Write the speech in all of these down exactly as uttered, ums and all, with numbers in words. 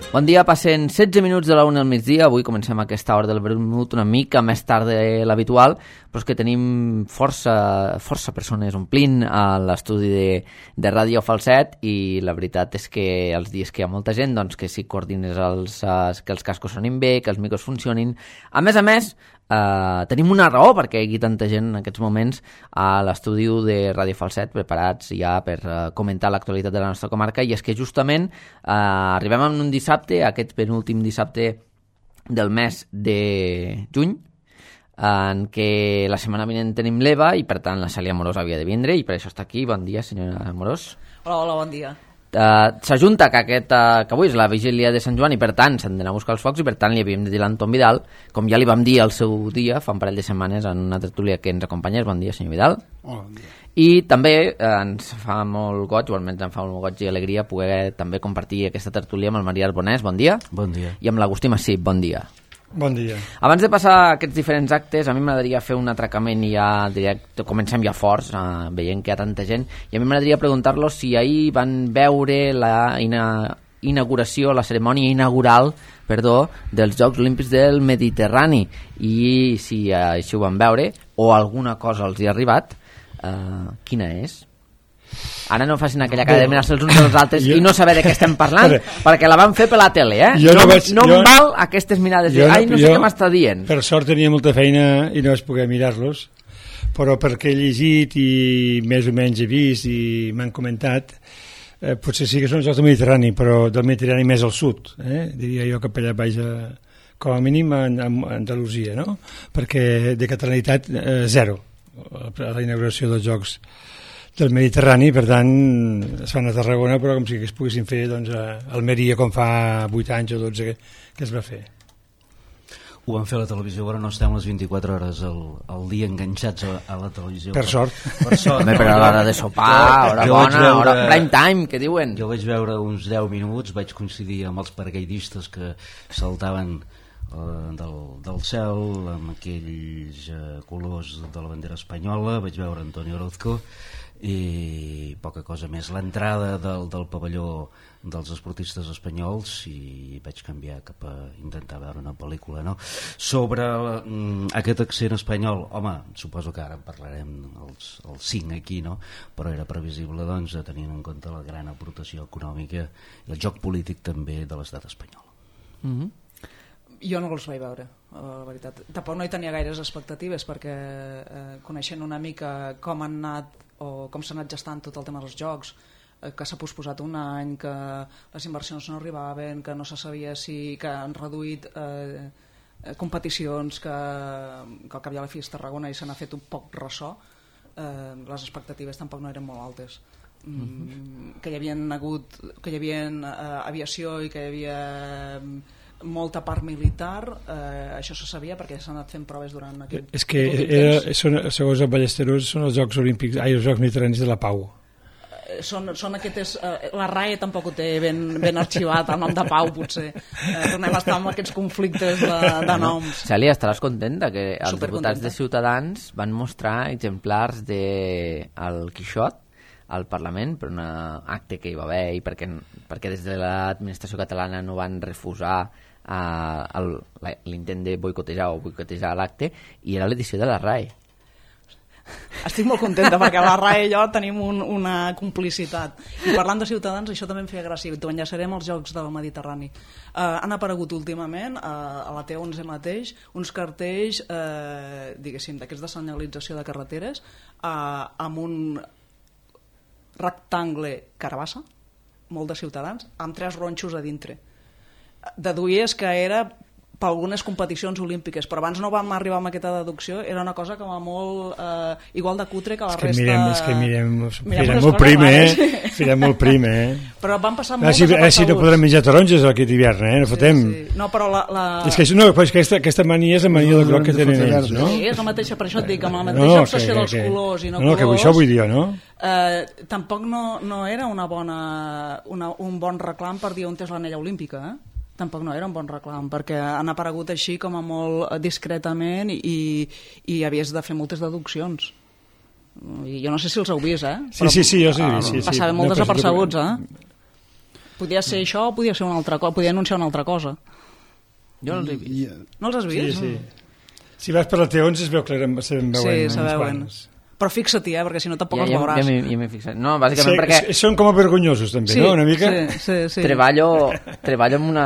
Bon dia, passen setze minuts de la una al migdia. Avui comencem aquesta hora del vermut una mica més tard de l'habitual, però és que tenim força, força persones omplint a l'estudi de, de Ràdio Falset, i la veritat és que els dies que hi ha molta gent, doncs que si coordines els, que els cascos sonin bé, que els micros funcionin. A més a més, Uh, tenim una raó perquè hi hagi tanta gent en aquests moments a l'estudi de Ràdio Falset preparats ja per uh, comentar l'actualitat de la nostra comarca, i és que justament uh, arribem en un dissabte, aquest penúltim dissabte del mes de juny, en què la setmana vinent tenim l'Eva i per tant la Cèlia Amorós havia de vindre, i per això està aquí. Bon dia, senyora Amorós. Hola, hola, bon dia. Uh, s'ajunta que, aquest, uh, que avui és la vigília de Sant Joan i per tant s'han d'anar a buscar els focs, i per tant li havíem de dir a l'Anton Vidal, com ja li vam dir al seu dia fa un parell de setmanes en una tertúlia que ens acompanyés. Bon dia, senyor Vidal. Hola, bon dia. I també eh, ens fa molt goig, o almenys em fa molt goig i alegria poder també compartir aquesta tertúlia amb el Maria Arbonès. Bon dia. Bon dia. I amb l'Agustí Massip. Bon dia. Bon dia. Abans de passar a aquests diferents actes, a mi m'agradaria fer un atracament i ja directe, comencem ja forts, uh, veient que hi ha tanta gent, i a mi m'agradaria preguntar-los si ahir van veure la ina inauguració, la cerimònia inaugural, perdó, dels Jocs Olímpics del Mediterrani, i si uh, així ho van veure, o alguna cosa els hi ha arribat, uh, quina és? Ara no facin aquella cara de mirar-se els uns als altres jo, i no saber de què estem parlant, perquè la van fer per la tele, eh? Jo no, no, vaig, no jo, em val aquestes mirades de, ai, no sé jo, què m'està dient. Per sort tenia molta feina i no vaig poder mirar-los, però perquè he llegit i més o menys he vist i m'han comentat, eh, potser sí que són els Jocs del Mediterrani, però del Mediterrani més al sud, eh? Diria jo que per allà baix a, com a mínim a, a Andalusia, no? Perquè de catalanitat eh, zero a la inauguració dels Jocs del Mediterrani, per tant es fan a Tarragona, però com si es poguessin fer doncs, a Almeria com fa vuit anys o dotze que, que es va fer. Ho van fer a la televisió, però no estem les vint-i-quatre hores al, al dia enganxats a, a la televisió. Per sort. Per sort. També per a l'hora de sopar, hora jo bona, veure, hora prime time, que diuen. Jo vaig veure uns deu minuts, vaig coincidir amb els paracaidistes que saltaven uh, del, del cel amb aquells uh, colors de la bandera espanyola, vaig veure Antonio Orozco, i poca cosa més. L'entrada del, del pavelló dels esportistes espanyols, i vaig canviar cap a intentar veure una pel·lícula, no? Sobre mm, aquest accent espanyol, home, suposo que ara en parlarem els, els cinc aquí, no? Però era previsible, doncs, tenint en compte la gran aportació econòmica i el joc polític també de l'estat espanyol. Mm-hmm. Jo no els vaig veure, la veritat. Tampoc no hi tenia gaires expectatives, perquè eh, coneixent una mica com han anat o com s'ha anat gestant tot el tema dels jocs, eh, que s'ha posposat un any, que les inversions no arribaven, que no se sabia si que han reduït eh, competicions, que, que al cap i a la fi és Tarragona i se n'ha fet un poc ressò, eh, les expectatives tampoc no eren molt altes. Mm, mm-hmm. Que hi havia hagut, que hi havia eh, aviació i que hi havia molta part militar, eh, això se sabia perquè s'han anat fent proves durant aquest és que era, són, segons el Ballesteros són els Jocs Olímpics, ai, els Jocs Mediterranis de la Pau. Eh, són, són aquestes, eh, la R A E tampoc ho té ben, ben arxivat, el nom de Pau potser, eh, tornem a estar amb aquests conflictes de, de noms. Cèlia, estaràs contenta que els diputats de Ciutadans van mostrar exemplars de el Quixot al Parlament per un acte que hi va haver, i perquè, perquè des de l'administració catalana no van refusar uh, l'intent de boicotejar o boicotejar l'acte, i era l'edició de la R A E. Estic molt contenta perquè la R A E i jo tenim un, una complicitat. I parlant de Ciutadans, això també em feia gràcia. T'ho enllaçarem als Jocs del Mediterrani. Uh, han aparegut últimament uh, a la T onze mateix uns cartells uh, diguéssim, d'aquests de senyalització de carreteres uh, amb un rectangle carabassa, molt de Ciutadans, amb tres ronxos a dintre. Deduïes que era per algunes competicions olímpiques, però abans no vam arribar amb aquesta deducció, era una cosa com a molt eh, igual de cutre que la és que resta... Mirem, és que mirem, mirem molt prim, eh? Mirem molt prim, eh? Però van passar ah, moltes si, eh, si no podrem menjar taronges aquest hivern, eh? No sí, fotem. Sí. No, però la... la... És que, no, però és que aquesta, aquesta mania és la mania del groc que tenen ells, no? Sí, és la mateixa, per això et dic, amb la mateixa no, obsessió que, dels que, colors i no, no, colors... No, que això vull dir jo, no? Eh, tampoc no, no era una bona, una, un bon reclam per dir on és l'anella olímpica, eh? Tampoc no era un bon reclam, perquè han aparegut així com a molt discretament i, i havies de fer moltes deduccions. I jo no sé si els heu vist, eh? Sí, però, sí, sí, jo sí. sí, sí passaven molt no, desapercebuts, eh? Podia ser això o podia ser una altra cosa, podia anunciar una altra cosa. Jo no els he vist. I, No els has vist? sí, sí. Si vas per la T onze es veu clarament, se veuen Sí, uns se veuen. quants. Però fixa't-hi, eh, perquè si no tampoc Ja, els ja, veuràs. ja m'hi ja m'hi he fixat. No, bàsicament Sí, perquè s- són com a vergonyosos també, Sí, no? Una mica. sí, sí, sí. treballo, treballo amb una,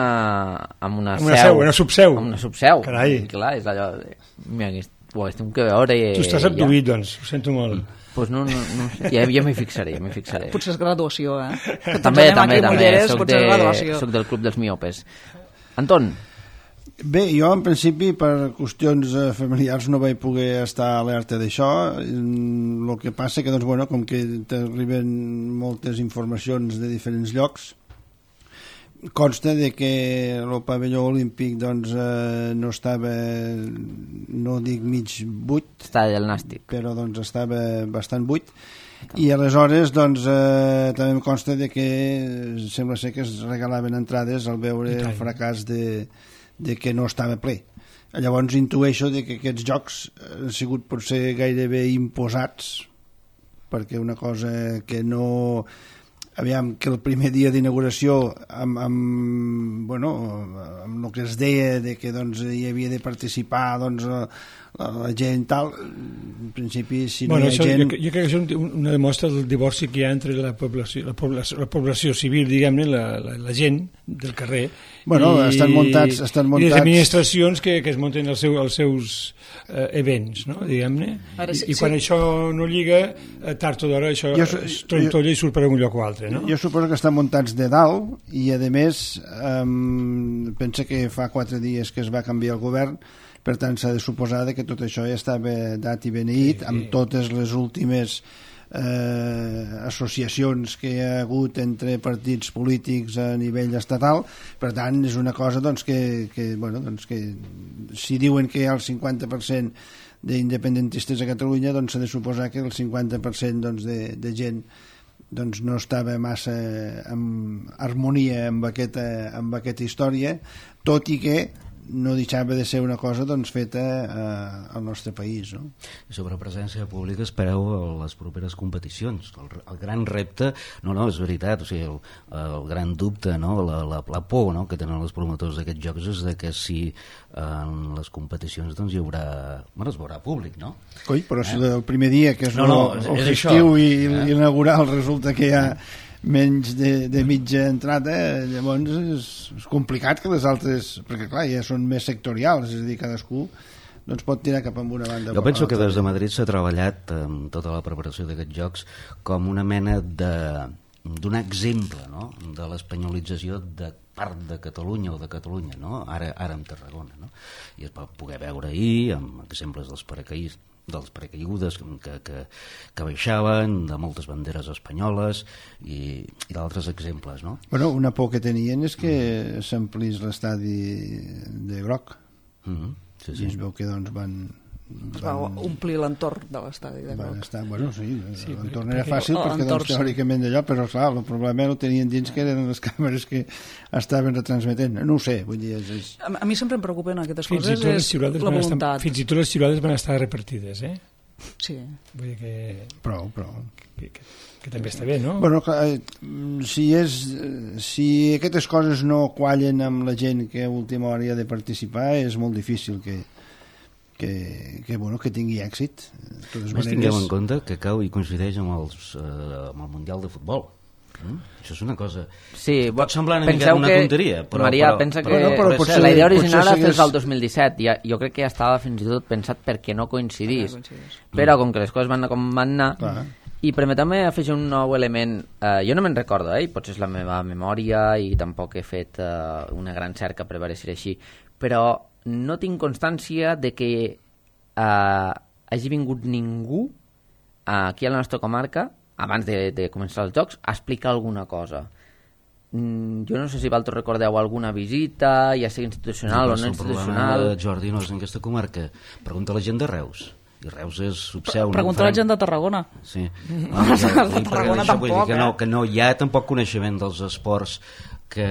amb una Amb una seu. seu, una subseu. Amb una subseu. Carai. I clar, és allò... De, mira, que ho haguéssim que veure... I, Tu estàs abduït, doncs, ho sento molt. Pues no, no, no sé. Ja, ja m'hi fixaré, ja m'hi fixaré. Potser és graduació, eh? Que tots També, anem també, aquí també. mulleres, Soc, potser és de, graduació. soc del club dels miopes. Anton, Bé, jo en principi per qüestions eh, familiars no vaig poder estar alerta d'això. El que passa que, doncs, bueno, com que t'arriben moltes informacions de diferents llocs, consta de que el pavelló olímpic doncs, eh, no estava, no dic mig buit, està el nàstic. però doncs estava bastant buit, i aleshores doncs, eh, també em consta de que sembla ser que es regalaven entrades al veure el fracàs de, de que no estava ple. Llavors intueixo de que aquests jocs han sigut potser gairebé imposats, perquè una cosa que no... Aviam, que el primer dia d'inauguració amb, amb, bueno, amb el que es deia de que doncs, hi havia de participar doncs, la, la gent tal, en principi si no Bueno, hi ha això, gent... jo, jo crec que és un, una demostra del divorci que hi ha entre la població, la població, la població civil, diguem-ne, la, la, la gent del carrer, Bueno, i, estan muntats- estan i les muntats- administracions que, que es munten els, seu, els seus eh, events, no? diguem-ne. Ara, I, sí, I quan sí. això no lliga, eh, tard o d'hora això Jo su- es trontolla i surt per un lloc o altre. No? Jo suposo que estan muntats de dalt i, a més, um, pensa que fa quatre dies que es va canviar el govern, per tant s'ha de suposar que tot això ja estava dat i beneït, sí, sí. amb totes les últimes eh, associacions que hi ha hagut entre partits polítics a nivell estatal. Per tant, és una cosa doncs, que, que, bueno, doncs, que si diuen que hi ha el cinquanta per cent d'independentistes a Catalunya, doncs s'ha de suposar que el cinquanta per cent doncs, de, de gent doncs no estava massa en harmonia amb aquesta, amb aquesta història, tot i que no deixava de ser una cosa doncs, feta eh, al nostre país. No? I sobre presència pública espereu a les properes competicions. El, el gran repte, no, no, és veritat, o sigui, el, el gran dubte, no? la, la, la por no? que tenen els promotors d'aquests jocs és de que si en les competicions doncs, hi haurà, bueno, es veurà públic, no? Coi, però si el primer dia, que és No, no, és- el és festiu això, i, eh? i l'inaugural, resulta que hi ha menys de, de mitja entrada, llavors és, és complicat que les altres, perquè clar, ja són més sectorials, és a dir, cadascú doncs pot tirar cap a una banda. Jo penso que des de Madrid s'ha treballat amb tota la preparació d'aquests jocs com una mena de donar exemple, no? De l'espanyolització de part de Catalunya o de Catalunya, no? ara, ara amb Tarragona, no? I es va poder veure ahir amb exemples dels paracaïs dels paracaigudes que, que, que baixaven, de moltes banderes espanyoles i, i d'altres exemples, no? Bueno, una por que tenien és que s'amplís l'estadi de groc. Mm-hmm. Sí, I sí. es veu que doncs van... Es va omplir l'entorn de l'estadi de Van groc. estar, bueno, sí, Sí, l'entorn perquè- era fàcil perquè- perquè l'entorn, doncs, sí. teòricament d'allò, però clar, el problema ho tenien dins que eren les càmeres que estaven retransmetent. No ho sé, vull dir, és... és... A, a mi sempre em preocupen aquestes Fins i, coses, tot les és xiulades la van estar, voluntat. fins i tot les xiulades van estar repartides, eh? Sí. Vull dir que, Prou, prou. que, que, que també està bé, no? Bueno, clar, eh, si, és, eh, si aquestes coses no quallen amb la gent que a última hora hi ha de participar, és molt difícil que, que, que, bueno, que tingui èxit. De totes Més tinguem en maneres, compte que cau i coincideix amb, els, eh, amb el Mundial de Futbol. Mm? Això és una cosa... Sí, Pot semblar una mica penseu una que, tonteria, però... Maria, però, pensa que però no, però potser potser- la idea original potser era fer-se s'hagués- el dos mil disset. Ja, jo crec que ja estava fins i tot pensat perquè no coincidís. Perquè no coincidís. Però com que les coses van anar com van anar... Clar. I permeteu-me afegir un nou element. Eh, jo no me'n recordo, eh? i potser és la meva memòria i tampoc he fet eh, una gran cerca per veure si era així, però no tinc constància de que eh, hagi vingut ningú eh, aquí a la nostra comarca abans de, de començar els jocs a explicar alguna cosa. Mm, jo no sé si vosaltres recordeu alguna visita, ja sigui institucional o no El problema institucional. de Jordi no és en aquesta comarca. Pregunta a la gent de Reus. I Reus és subseu. no Pregunta a la en farem- gent de Tarragona. Sí. Els de Vull dir, perquè Tarragona això vull dir tampoc, que no, eh? que no hi ha tampoc coneixement dels esports que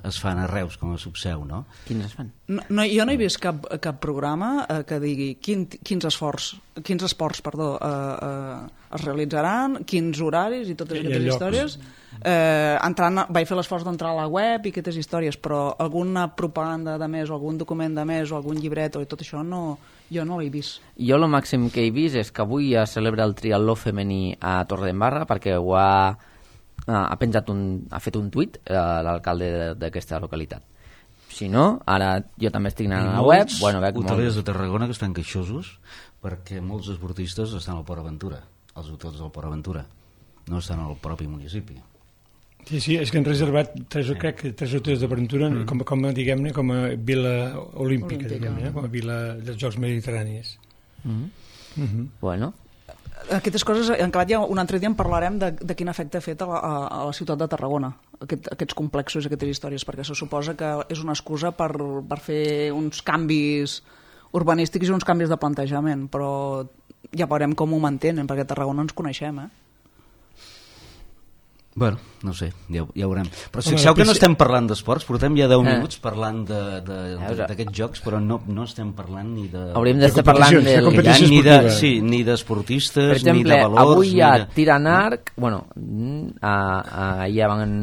es fan a Reus com a subseu, no? Quins es fan? No, no, jo no he vist cap, cap programa eh, que digui quin, quins, esforç, quins esports perdó, eh, eh, es realitzaran, quins horaris i totes I aquestes llocs. històries. Eh, entrant, vaig fer l'esforç d'entrar a la web i aquestes històries, però alguna propaganda de més o algun document de més o algun llibret o tot això no, jo no l'he vist. Jo el màxim que he vist és que avui es celebra el triatló femení a Torredembarra perquè ho ha, ha penjat un, ha fet un tuit eh, l'alcalde d'aquesta localitat. Si no, ara jo també estic anant a la web, bueno, veig hotelers molt... de Tarragona que estan queixosos perquè molts esportistes estan al Port Aventura, als hotels del Port Aventura, no estan al propi municipi. Sí, sí, és que han reservat tres, crec que tres hotels d'aventura mm. com, com, diguem-ne, com a vila olímpica, olímpica. Diguem-ne, com a vila dels Jocs Mediterranis. Mm. Mm-hmm. Bueno. Aquestes coses, en acabat ja un altre dia en parlarem de, de quin efecte ha fet a la, a la ciutat de Tarragona, aquest, aquests complexos, aquestes històries, perquè se suposa que és una excusa per, per fer uns canvis urbanístics i uns canvis de plantejament, però ja veurem com ho mantenen, perquè a Tarragona ens coneixem, eh? Bueno, no sé, ja, ja ho veurem. Però si fixeu que no estem parlant d'esports, portem ja deu minuts parlant d'aquests jocs, però no, no estem parlant ni de... Hauríem d'estar parlant de del... competició ni de, esportiva. sí, ni d'esportistes, Per exemple, ni de valors... avui hi ha ni de... tir en arc, bueno, a, a, ja van...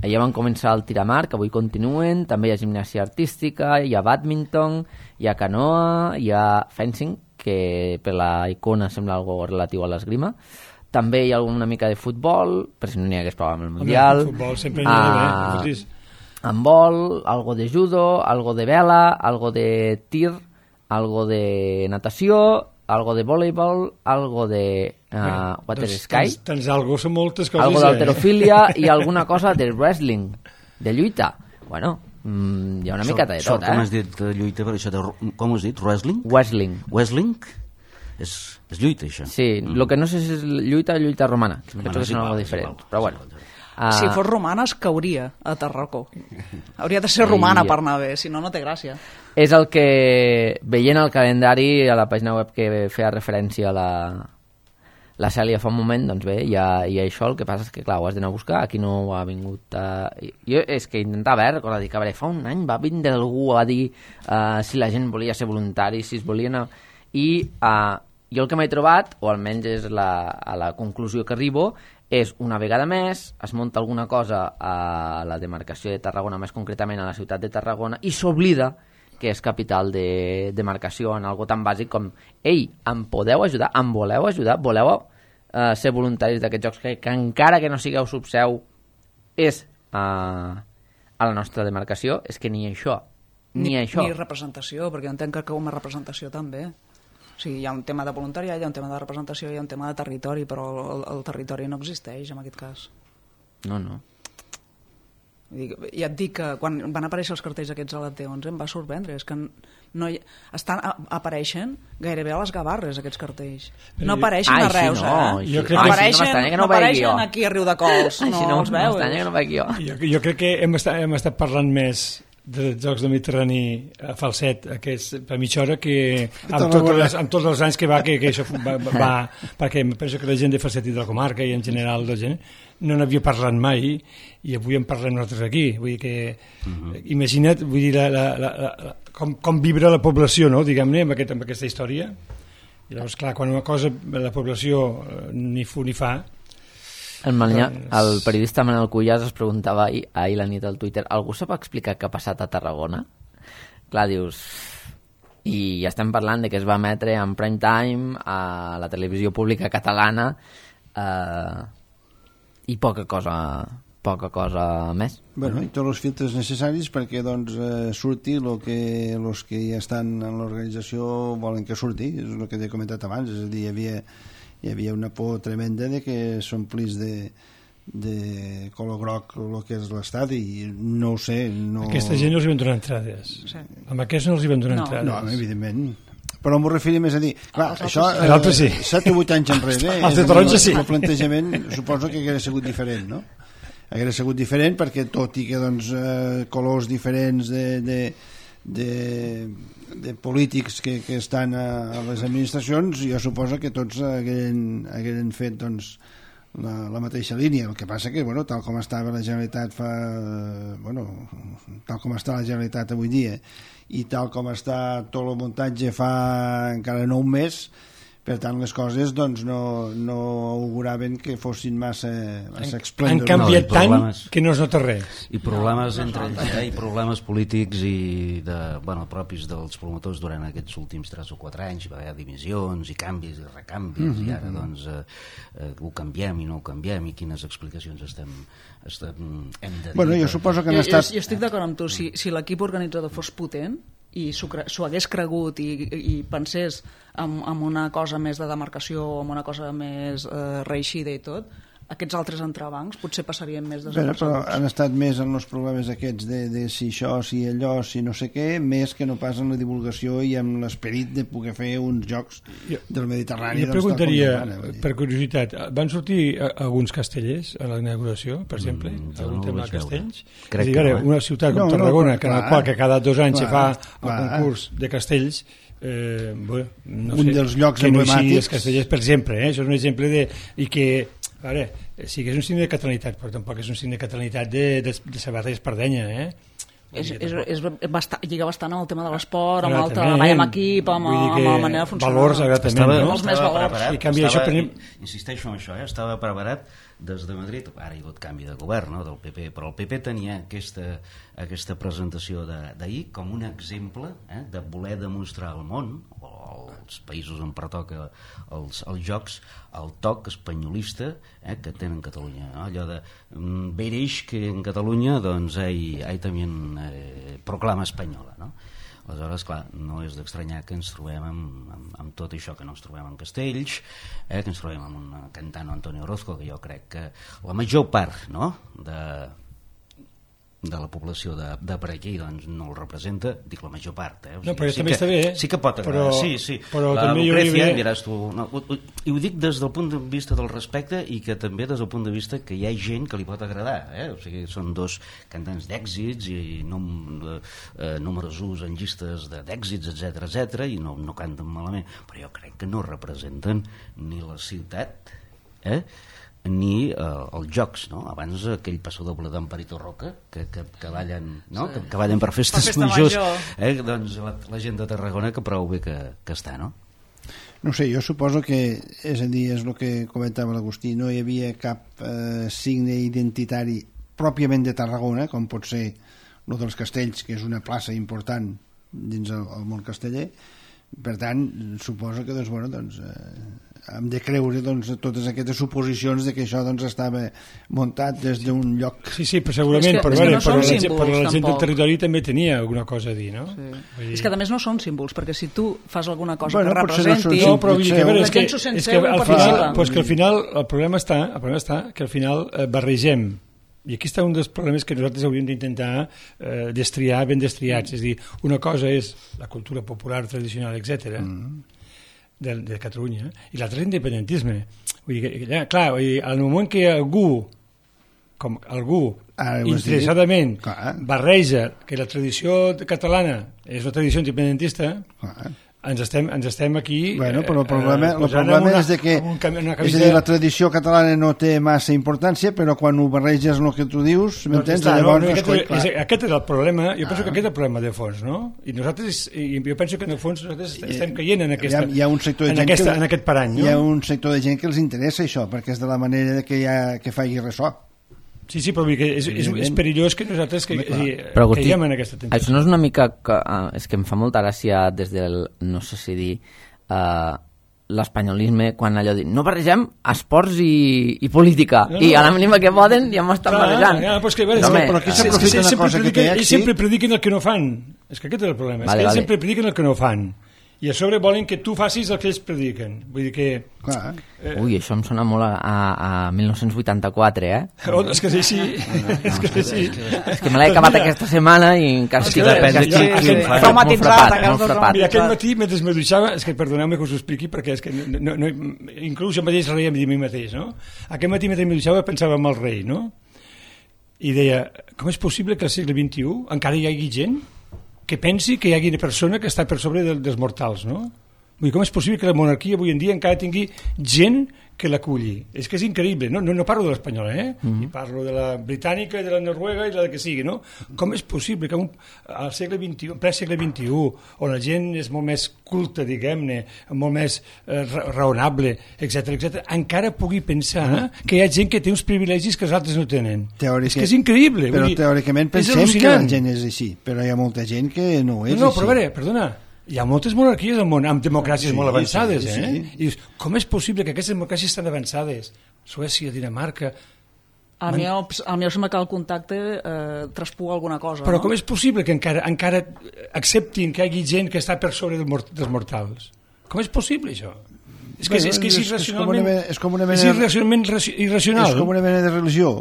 Ja van començar el tir amb arc, avui continuen, també hi ha gimnàsia artística, hi ha badminton, hi ha canoa, hi ha fencing, que per la icona sembla algo relatiu a l'esgrima. També hi ha una mica de futbol, per si no n'hi hagués prova amb el Mundial. Home, futbol sempre n'hi ha d'haver. Handbol, algo de judo, algo de vela, algo de tir, algo de natació, algo de voleibol, algo de uh, Bueno, water doncs, sky, tens, tens algo, són moltes coses. algo eh? d'alterofilia i alguna cosa de wrestling, de lluita. Bueno, mm, hi ha una Això- miqueta de això, tot, com eh? has dit, de lluita, però això de, com has dit, wrestling? Wrestling. Wrestling? És, és lluita, això. Sí, el que no sé si és lluita o lluita romana. Bueno, Penso que és són igual, algo és diferent, igual, però és bueno. igual. Uh, Si fos romana es cauria a Tarracó. Hauria de ser romana I- per anar bé, si no, no té gràcia. És el que, veient el calendari a la pàgina web que feia referència a la, la Cèlia fa un moment, doncs bé, hi ha, hi ha això, el que passa és que, clar, ho has d'anar a buscar, aquí no ho ha vingut a... Jo és que intentava, eh, recordar, dic, a veure, fa un any va vindre algú a dir uh, si la gent volia ser voluntari, si es volien... A... I uh, jo el que m'he trobat, o almenys és la, a la conclusió que arribo, és una vegada més, es munta alguna cosa a la demarcació de Tarragona, més concretament a la ciutat de Tarragona, i s'oblida que és capital de demarcació en algo tan bàsic com ei, em podeu ajudar? Em voleu ajudar? Voleu uh, ser voluntaris d'aquests jocs que, que encara que no sigueu subseu és uh, a la nostra demarcació? És que ni això, ni, ni això. Ni representació, perquè jo entenc que com a representació també. O sigui, hi ha un tema de voluntariat, hi ha un tema de representació, hi ha un tema de territori, però el, el territori no existeix en aquest cas. No, no. Vull dir, ja et dic que quan van aparèixer els cartells aquests a la T onze em va sorprendre, és que no hi, estan, a, apareixen gairebé a les Gavarres aquests cartells, no apareixen Ai, a Reus, sí, no, eh? Jo crec no que- apareixen, Ai, sí, no m'estranya que no no ho vegi apareixen jo. aquí a Riu de Cols, Ai, no si no, els veus. m'estranya que no ho veig jo. Jo, jo crec que hem estat, hem estat parlant més de Jocs del Mediterrani a Falset aquests, per mitja hora que amb, totes les, amb tots els anys que va, que, que això va, va, va perquè penso que la gent de Falset i de la comarca i en general la gent no n'havia parlat mai i avui en parlem nosaltres aquí, vull dir que uh -huh. imagina't, vull dir la, la, la, la, com, com vibra la població, no? Diguem-ne, amb, aquest, amb aquesta història. I llavors, clar, quan una cosa la població eh, ni fu ni fa. El, Manuel, Doncs- el periodista Manuel Cuyàs es preguntava ahir, ahir la nit al Twitter, algú sap explicar què ha passat a Tarragona? Clar, dius... I ja estem parlant de que es va emetre en prime time a la televisió pública catalana eh, i poca cosa poca cosa més. Bueno, i tots els filtres necessaris perquè doncs, eh, surti el que els que ja estan en l'organització volen que surti, és el que t'he comentat abans, és a dir, hi havia, hi havia una por tremenda de que s'omplís de, de color groc el que és l'estadi i no ho sé, no... Aquesta gent no els hi van donar entrades. Sí. Amb aquests no els hi van donar No. entrades. No, evidentment. Però m'ho referia més a dir... Clar, Els això... altres sí. Els altres sí. set o vuit anys enrere... Els de és a dir, taronja sí. El plantejament suposo que hauria sigut diferent, no? Hauria sigut diferent perquè tot i que doncs, eh, colors diferents de, de, de, de polítics que, que estan a, a les administracions, jo suposo que tots hagueren, hagueren fet doncs, la, la mateixa línia. El que passa que, bueno, tal com estava la Generalitat fa... Bueno, tal com està la Generalitat avui dia i tal com està tot el muntatge fa encara no un mes, per tant les coses doncs no, no auguraven que fossin massa, massa esplèndors. Han canviat no, tant problemes, que no es nota res. I problemes no, entre ells, eh? I problemes polítics i de, bueno, propis dels promotors durant aquests últims tres o quatre anys. Hi va haver divisions i canvis i recanvis, mm -hmm. i ara doncs eh, eh, ho canviem i no ho canviem, i quines explicacions estem, estem hem de dir. Bueno, jo suposo que han jo, estat... jo, jo estic d'acord amb tu, si, si l'equip organitzador fos potent i s'ho hagués cregut i, i pensés en, en una cosa més de demarcació o en una cosa més eh, reeixida i tot, aquests altres entrebancs potser passarien més desapercebuts. Però han estat més en els problemes aquests de, de si això, si allò, si no sé què, més que no pas en la divulgació i en l'esperit de poder fer uns jocs del Mediterrani. Jo preguntaria, per curiositat, van sortir alguns castellers a la inauguració, per exemple, mm, algun no tema de castells? Crec és a dir, que no, eh? una ciutat com no, Tarragona, no, que en clar, la qual que cada dos anys clar, se fa el clar. concurs de castells, eh, bueno, no un sé, dels llocs que no sigui emblemàtics. els castellers, per exemple, eh? Això és un exemple de... i que a veure, sí que és un signe de catalanitat, però tampoc és un signe de catalanitat de, de, de Sabarra i Espardenya, eh? És, és, és bastant, lliga bastant amb el tema de l'esport, amb el treball amb equip, amb, amb la manera de funcionar. Valors, exactament, estava, no? Els més valors. Preparat, I canvi estava, això, per... insisteixo en això, eh? Estava preparat des de Madrid, ara hi ha hagut canvi de govern, no?, del P P, però el P P tenia aquesta, aquesta presentació d'ahir com un exemple, eh, de voler demostrar al món, o als països on pertoca els, els jocs, el toc espanyolista, eh, que tenen Catalunya, no? Allò de mm, veréis que en Catalunya doncs hay, hay también eh, proclama espanyola, no? Aleshores, clar, no és d'estranyar que ens trobem amb, amb, amb tot això, que no ens trobem en castells, eh, que ens trobem amb un cantant Antonio Orozco, que jo crec que la major part, no?, de, de la població de, de per aquí doncs no el representa, dic la major part, eh? O sigui, no, però sí també que, està bé, eh? sí que pot agradar, però, sí, sí, però la també Lucrecia, hauria... diràs tu, no, ho, ho, i ho dic des del punt de vista del respecte i que també des del punt de vista que hi ha gent que li pot agradar, eh? O sigui, són dos cantants d'èxits i nom, eh, numerosos en llistes d'èxits, etc etc, i no, no canten malament, però jo crec que no representen ni la ciutat, eh? ni eh, els jocs, no? Abans aquell passadoble d'Amparito Roca que, que, que ballen, no? Sí. que, que ballen per festes per festa majors, major. eh? Doncs la, la gent de Tarragona que prou bé que, que està, no? No sé, jo suposo que, és a dir, és el que comentava l'Agustí, no hi havia cap eh, signe identitari pròpiament de Tarragona, com pot ser el dels castells, que és una plaça important dins el, el món casteller. Per tant, suposo que doncs, bueno, doncs, eh, hem de creure doncs, totes aquestes suposicions de que això doncs, estava muntat des d'un lloc. Sí, sí, però segurament, que, però, que veure, no però, la, símbols, però la gent tampoc. del territori també tenia alguna cosa a dir, no? Sí. Dir... És que a més no són símbols, perquè si tu fas alguna cosa Bueno, que potser no són representi... No, però vull dir que, a veure, la és que, gent s'ho sent és seu que i al final, participa. pues que al final el problema està, el problema està que al final eh, barregem, i aquí està un dels problemes que nosaltres hauríem d'intentar eh, destriar, ben destriats, és a dir, una cosa és la cultura popular, tradicional, etcètera, mm. de, de Catalunya, i l'altre és l'independentisme. Vull dir, que, ja, clar, vull dir, al moment que algú, com algú, ah, interessadament clar. barreja que la tradició catalana és una tradició independentista, Clar. ens estem, ens estem aquí Bueno, però el problema, eh, el problema una, és de que un, una és a dir, la tradició catalana no té massa importància, però quan ho barreges el que tu dius, m'entens? Doncs està, Llavors, no, és, aquest, clar. és, aquest és el problema, jo penso Ah. que aquest és el problema de fons, no? I nosaltres, i jo penso que en el fons nosaltres estem caient en, aquesta, hi ha, hi ha un sector de en, gent aquesta, que, en aquest parany, hi ha no? un sector de gent que els interessa això, perquè és de la manera que, hi ha, que faci ressò. Sí, sí, però vull dir que és, és, és perillós que nosaltres que, Home, clar. que, Però, Agustí, caiguem en aquesta tentació. això no és una mica... Que, uh, és que em fa molta gràcia des del, no sé si dir, uh, l'espanyolisme, quan allò diu no barregem esports i, i política, no, no. i a la mínima que poden ja m'ho estan Clar, barrejant. ja, però és que, veure, No, és que, home, però aquí és que s'aprofita una sempre cosa que prediquen, té ells èxit. sempre prediquen el que no fan. És que aquest és el problema, és Vale, que ells vale. sempre prediquen el que no fan. I a sobre volen que tu facis el que ells prediquen. Vull dir que... Clar. Eh, Ui, això em sona molt a, a, a mil nou-cents vuitanta-quatre, eh? oh, és que és així. és que és així. És que me l'he acabat aquesta setmana i encara És que depèn de estic- qui- estic qui ho fa. molt Traumatitzat, frapat, aquests molt dos frapat. Mira, aquest matí, mentre me dutxava, és que perdoneu-me que us ho expliqui, perquè és que no, no, no, inclús jo mateix reia de mi mateix, no? Aquest matí, mentre me dutxava, pensava en el rei, no? I deia, com és possible que al segle vint-i-u encara hi hagi gent que pensi que hi hagi una persona que està per sobre del, dels mortals, no? Vull dir, com és possible que la monarquia avui en dia encara tingui gent que l'aculli. És que és increïble. No, no, no parlo de l'espanyola, eh? Mm-hmm. Parlo de la britànica, de la noruega i de la que sigui, no? Com és possible que un, al segle vint-i-u, en ple segle vint-i-u, on la gent és molt més culta, diguem-ne, molt més eh, raonable, etcètera, etcètera, encara pugui pensar mm-hmm. que hi ha gent que té uns privilegis que els altres no tenen. Teòrica... És que és increïble. Però dir, teòricament pensem que la gent és així, però hi ha molta gent que no és no, no, així. Però a veure, perdona, hi ha moltes monarquies al món, amb democràcies sí, molt avançades, sí, eh? sí. I dius, com és possible que aquestes democràcies estan avançades? Suècia, Dinamarca... Al meu, al meu sembla que el contacte eh, traspuga alguna cosa, Però no? com és possible que encara, encara acceptin que hi hagi gent que està per sobre del mort, dels mortals? Com és possible, això? És que, Bueno, és, que és, és, irracionalment... és com una mena, és irracionalment irracional. És com una mena de religió.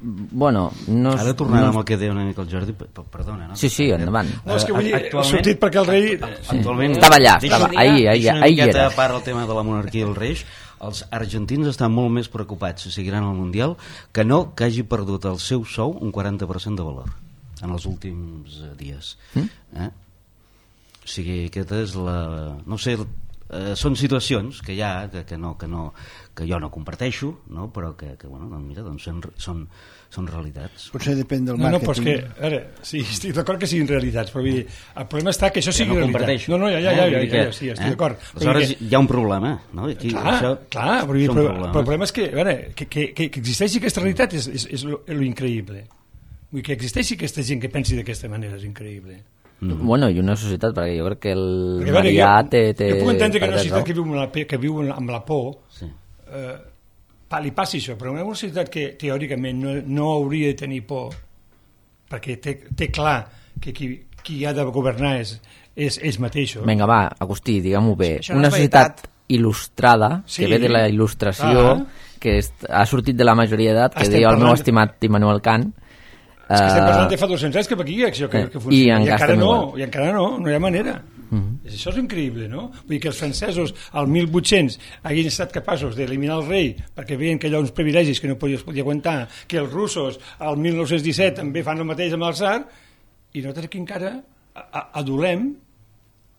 Bueno, no... Ara tornant no... amb el que deia una mica el Jordi, p- perdona, no? Sí, sí, endavant. No, és que vull dir, Actualment- ha sortit perquè el rei... Actualment, Estava allà, deixa- estava, ahir, ahir, deixa una ahir miqueta era. a part el tema de la monarquia i el rei. Els argentins estan molt més preocupats si seguiran al Mundial que no que hagi perdut el seu sou un quaranta per cent de valor en els últims eh, dies. Mm? Eh? O sigui, aquesta és la... No sé, eh, són situacions que hi ha, que, que, no, que, no, que jo no comparteixo, no? Però que, que bueno, doncs mira, doncs són, són, són realitats. Potser depèn del No, no, màrqueting. però és que, a veure, sí, estic d'acord que siguin realitats, però vull dir, el problema està que això Que sigui no realitat. comparteixo. No, no, ja, ja, ja, Eh? ja, Vull ja, dir que, ja, sí, estic eh? d'acord. Però Aleshores vull dir hi ha un problema, no? Aquí, Clar, això, clar, però, són però, problemes. però el problema és que, a veure, que, que, que, que existeixi aquesta realitat és, és, és lo, lo increïble. Vull dir, que existeixi aquesta gent que pensi d'aquesta manera és increïble. Mm. Bueno, i una societat, perquè jo crec que el Perquè, a veure, Marià jo, té, té... jo puc entendre que una perdó. societat que viu amb la, pe- que viu amb la por Sí. eh, pa- li passi això, però una societat que teòricament no, no hauria de tenir por perquè té, té clar que qui, qui ha de governar és, és ells mateixos. Vinga, va, Agustí, diguem-ho bé. Això no Una és societat veritat. il·lustrada, Sí. que ve de la il·lustració, Ah. que est, ha sortit de la majoria d'edat, que Estem deia el meu parlant- estimat Immanuel Kant. És que estem Eh, parlant de fa dos-cents anys cap aquí, això que, eh, que i funciona. I, encara encara estem no, igual. i encara no, no hi ha manera. Mhm. Això és increïble, no? Vull dir que els francesos al mil vuit-cents hagin estat capaços d'eliminar el rei perquè veien que allò uns privilegis que no podia, es podia aguantar, que els russos al mil nou-cents disset també fan el mateix amb el tsar, i nosaltres aquí encara a- a- adolem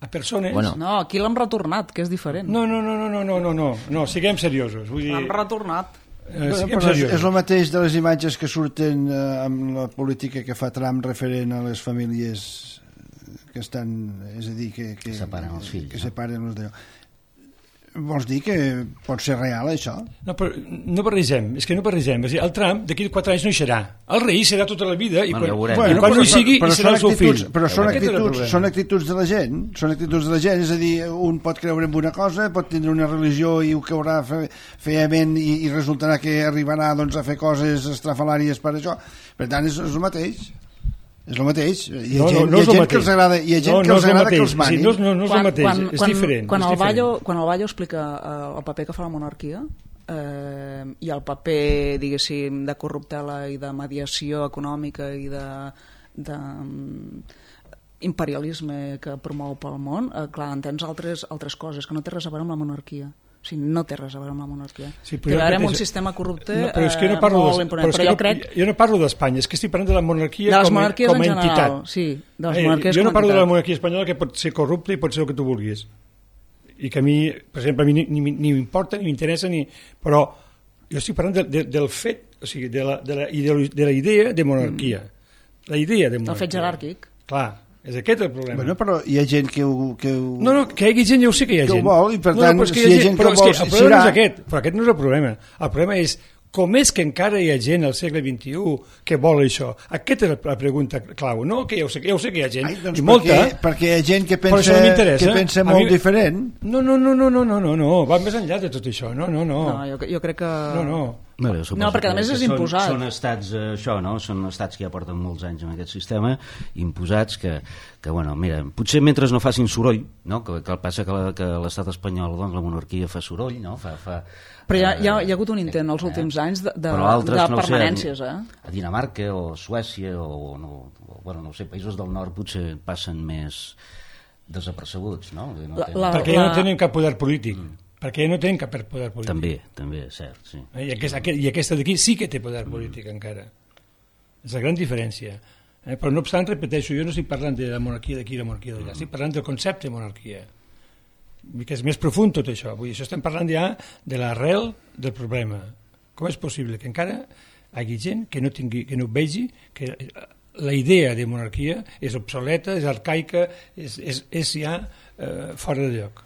a persones... Bueno. No, aquí l'hem retornat, que és diferent. No, no, no, no, no, no, no, no, no, siguem seriosos. Vull dir, L'hem retornat. eh, Bueno, siguem però és, seriosos. és el mateix de les imatges que surten eh, amb la política que fa Trump referent a les famílies que estan, és a dir, que, que, Separen els fills, que no? separen els d'allò. Vols dir que pot ser real, això? No, però no barregem, és que no barregem. És a dir, el Trump d'aquí a quatre anys no hi serà. El rei serà tota la vida i Bueno, quan, ja ho veurem. i Bueno, quan no hi però- sigui però hi serà el seu són fill. actituds- Però són Aquest era el actituds, problema. són actituds de la gent, són actituds de la gent, és a dir, un pot creure en una cosa, pot tindre una religió i ho creurà fe, feament i, i resultarà que arribarà doncs, a fer coses estrafalàries per això. Per tant, és, és el mateix. És el mateix. Hi ha No, no, gent, no hi ha és el gent mateix. que els agrada, hi ha gent No, que no els és el agrada que mateix. els manin. Sí, no, no, no és el mateix, quan, és quan, diferent. Quan és el, diferent. Ballo, quan el Ballo explica eh, el paper que fa la monarquia eh, i el paper, diguéssim, de corruptela i de mediació econòmica i de, de um, imperialisme que promou pel món, eh, clar, entens altres, altres coses que no té res a veure amb la monarquia. O sigui, no té res a veure amb la monarquia. Sí, té a veure amb un repeteixo- sistema corrupte no, però és que jo no eh, parlo molt de, imponent. però és Però que jo no, crec jo no parlo d'Espanya, és que estic parlant de la monarquia de les com, a- monarquies com en a general. entitat. Sí, de les Eh, monarquies jo com no a parlo de la entitat. monarquia espanyola que pot ser corrupta i pot ser el que tu vulguis. I que a mi, per exemple, a mi ni, ni, ni m'importa, ni m'interessa, ni... però jo estic parlant de, de, del fet, o sigui, de la, de la, ideolo- de la idea de monarquia. La idea de El monarquia. fet jeràrquic. Clar, és aquest el problema. Bueno, però hi ha gent que ho... Que ho... No, no, que hi hagi gent, ja ho sé que hi ha Que ho gent. vol, i per no, tant, no, però és que si hi ha gent que però ho és vol, el problema no serà. és aquest, però aquest no és el problema. El problema és com és que encara hi ha gent al segle vint-i-u que vol això? Aquesta és la pregunta clau, no? Que ja ho sé, ja ho sé que hi ha gent, Ai, doncs i molta. perquè, perquè hi ha gent que Però pensa, això no m'interessa. que pensa A molt mi- diferent. No, no, no, no, no, no, no, no, va més enllà de tot això, no, no, no. No, jo, jo crec que... No, no. Bueno, suposo No, perquè a que- més és que són, imposat. Són estats, eh, això, no? Són estats que ja porten molts anys en aquest sistema, imposats, que, que bueno, mira, potser mentre no facin soroll, no? Que, que passa que, la, que l'estat espanyol, doncs, la monarquia fa soroll, no? Fa, fa, Però hi ha, hi, ha, eh, hi ha hagut un intent als eh, últims anys de, de, però altres, de no ho sé, permanències, eh? a Dinamarca o Suècia o, no, o bueno, no ho sé, països del nord potser passen més desapercebuts, no? No La- tenen- la- Perquè ja no tenen cap poder polític. Perquè ja no tenen cap poder polític. També, també, és cert, sí. Eh, I aquesta, i aquesta d'aquí sí que té poder polític encara. És la gran diferència. Eh? Però no obstant, repeteixo, jo no estic parlant de la monarquia d'aquí i la monarquia d'allà, estic parlant del concepte de monarquia. que és més profund tot això. Vull dir, això estem parlant ja de l'arrel del problema. Com és possible que encara hi hagi gent que no, tingui, que no vegi que la idea de monarquia és obsoleta, és arcaica, és, és, és ja eh, fora de lloc.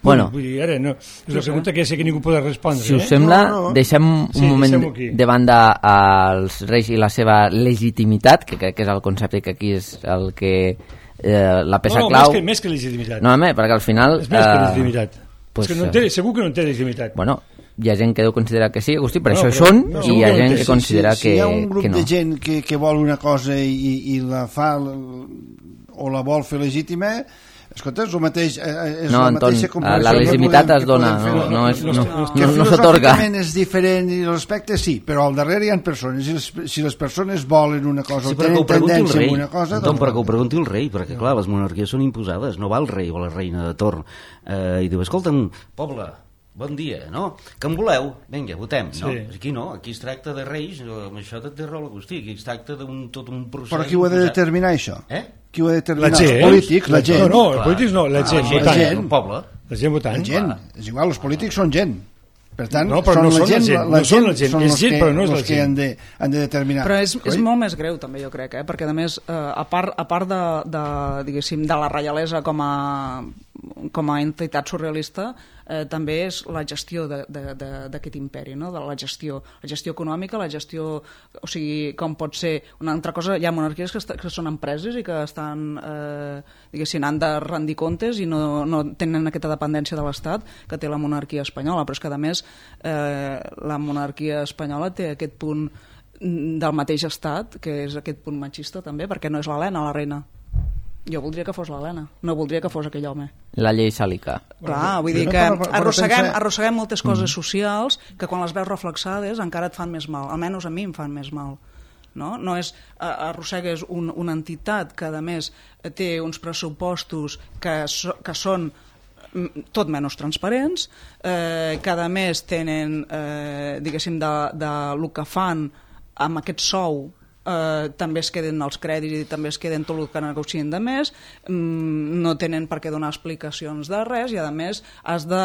Bueno, vull dir, ara, no, és una pregunta que ja sé que ningú pot respondre. Si us eh? sembla, no, no. deixem un Sí, moment aquí. de banda als reis i la seva legitimitat, que crec que és el concepte que aquí és el que eh, la peça no, no, clau. Més que, més que legitimitat. No, home, perquè al final... És més que eh, legitimitat. pues, és que no té, segur que no té legitimitat. Bueno, hi ha gent que deu considerar que sí, Agustí, per No, això però- hi són, no, i hi ha segur que gent no té. que considera si, que, si hi ha un grup que no. de gent que, que vol una cosa i, i la fa o la vol fer legítima, escolta, és el mateix, és No, la Anton, mateixa comparació la que legitimitat podem- es que dona, podem fer. no, no, és, no, no, no, que no, no s'atorga. filosòficament és diferent i l'aspecte sí, però al darrere hi ha persones, si les, si les persones volen una cosa Sí, o però que tenen ho pregunti el tendència rei. a una cosa... Anton, doncs però que ho pregunti el rei, perquè clar, les monarquies són imposades, no va el rei o la reina de torn eh, i diu, escolta'm, poble, bon dia, no? Que en voleu? Vinga, votem, no? Sí. Aquí no, aquí es tracta de reis, amb això té raó l'Agustí, aquí es tracta d'un tot un procés... Però qui ho ha de imposat. determinar, això? Eh? Qui ho ha de determinar? La gent. Els polítics, la gent. No, no, els Clar. polítics no, la Ah, gent, la gent, votant. gent. el poble. La gent votant. La gent, és igual, els polítics són gent. Per tant, No, però són no la són la gent, gent, la no són la gent, són és els gent, que, però no és la els que gent. han de, han de determinar. Però és, és Oi? molt més greu també, jo crec, eh? Perquè a més, eh, a part, a part de, de, diguéssim, de la reialesa com a, com a entitat surrealista, eh, també és la gestió d'aquest imperi, no? De la gestió, la gestió econòmica, la gestió, o sigui, com pot ser una altra cosa, hi ha monarquies que, est que són empreses i que estan, eh, diguéssim, han de rendir comptes i no, no tenen aquesta dependència de l'Estat que té la monarquia espanyola, però és que a més eh, la monarquia espanyola té aquest punt del mateix estat, que és aquest punt machista també, perquè no és l'Helena la reina. Jo voldria que fos l'Helena, no voldria que fos aquell home. La llei sàlica. Clar, vull dir no, que però- però arrosseguem, pensa- arrosseguem moltes coses socials que quan les veus reflexades encara et fan més mal, almenys a mi em fan més mal. No, no és, eh, arrossegues un, una entitat que a més té uns pressupostos que, so, que són mm, tot menys transparents, eh, que a més tenen, eh, diguéssim, de, de lo que fan amb aquest sou, eh, també es queden els crèdits i també es queden tot el que negocien de més, mm, no tenen per què donar explicacions de res i a més has de...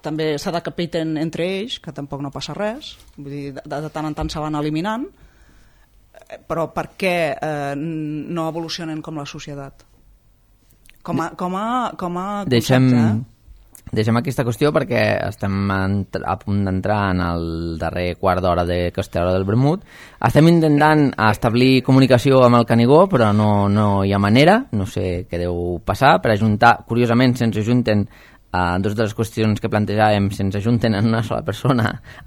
també s'ha de capiten entre ells, que tampoc no passa res, vull dir, de, de tant en tant se van eliminant, eh, però per què eh, no evolucionen com la societat? Com a, com a, com a concepte, Deixem, eh? deixem aquesta qüestió perquè estem entr- a punt d'entrar en el darrer quart d'hora de Costera del Vermut. Estem intentant establir comunicació amb el Canigó, però no, no hi ha manera, no sé què deu passar, per ajuntar, curiosament se'ns ajunten Uh, dues de les qüestions que plantejàvem se'ns ajunten en una sola persona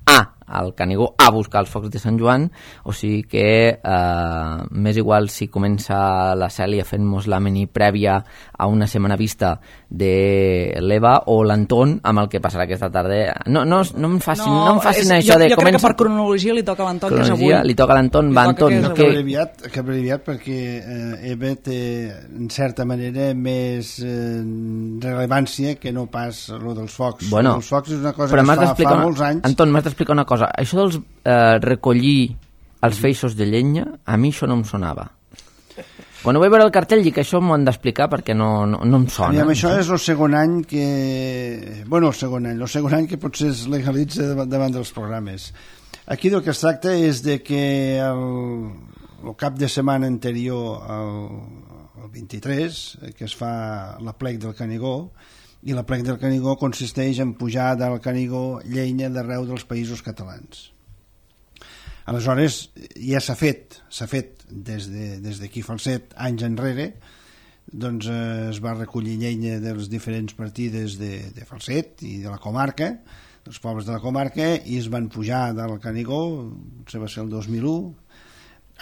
a al Canigó a buscar els focs de Sant Joan, o sigui que uh, m'és igual si comença la Cèlia fent-nos la mini prèvia a una setmana vista de l'Eva o l'Anton amb el que passarà aquesta tarda. No, no, no em facin, no, no em facin és, això jo, de jo crec comença... que per cronologia li toca a l'Anton, que és avui. Cronologia, li toca a l'Anton, Li va toca Anton. que és No, avui. que... Que abreviat, que abreviat perquè eh, Eva té, en certa manera, més eh, rellevància que no pas lo dels focs. Bueno, Lo dels focs és una cosa però que m'has es fa, d'explicar fa una- molts anys. Anton, m'has d'explicar una cosa. Això dels eh, recollir els feixos de llenya, a mi això no em sonava. Quan ho vaig veure el cartell dic que això m'ho han d'explicar perquè no, no, no em sona. Aviam, això és el segon any que... Bueno, el segon any. El segon any que potser es legalitza davant, davant dels programes. Aquí del que es tracta és de que el, el cap de setmana anterior al, al vint-i-tres, que es fa la plec del Canigó, i la plec del Canigó consisteix en pujar del Canigó llenya d'arreu dels països catalans. Aleshores, ja s'ha fet, s'ha fet des de, des d'aquí Falset, anys enrere, doncs eh, es va recollir llenya de les diferents partides de, de Falset i de la comarca, dels pobles de la comarca, i es van pujar del Canigó, se va ser el dos mil u,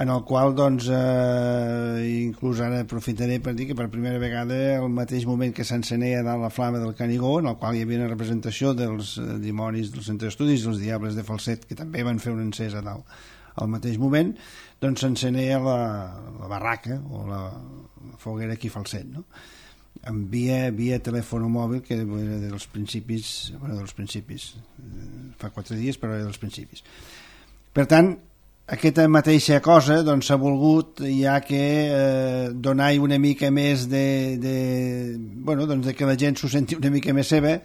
en el qual, doncs, eh, inclús ara aprofitaré per dir que per primera vegada, al mateix moment que s'encenea dalt la flama del Canigó, en el qual hi havia una representació dels eh, dimonis del centre d'estudis, dels diables de Falset, que també van fer una encesa dalt al mateix moment, doncs s'encenea la, la barraca o la, la foguera aquí a Falset, no? En via, via telèfon mòbil, que era dels principis, bueno, dels principis, eh, fa quatre dies, però era dels principis. Per tant, aquesta mateixa cosa doncs s'ha volgut ja que eh, donar una mica més de, de, bueno, doncs de que la gent s'ho senti una mica més seva,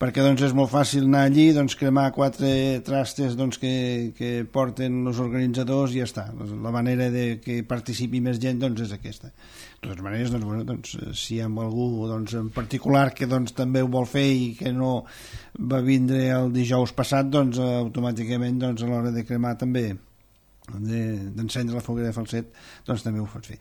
perquè doncs és molt fàcil anar allí, doncs cremar quatre trastes doncs, que, que porten els organitzadors i ja està. La manera de que participi més gent doncs, és aquesta. De totes maneres, doncs, bueno, doncs, si hi ha algú doncs, en particular que doncs, també ho vol fer i que no va vindre el dijous passat, doncs automàticament doncs, a l'hora de cremar també d'encendre la foguera de Falset, doncs també ho pots fer.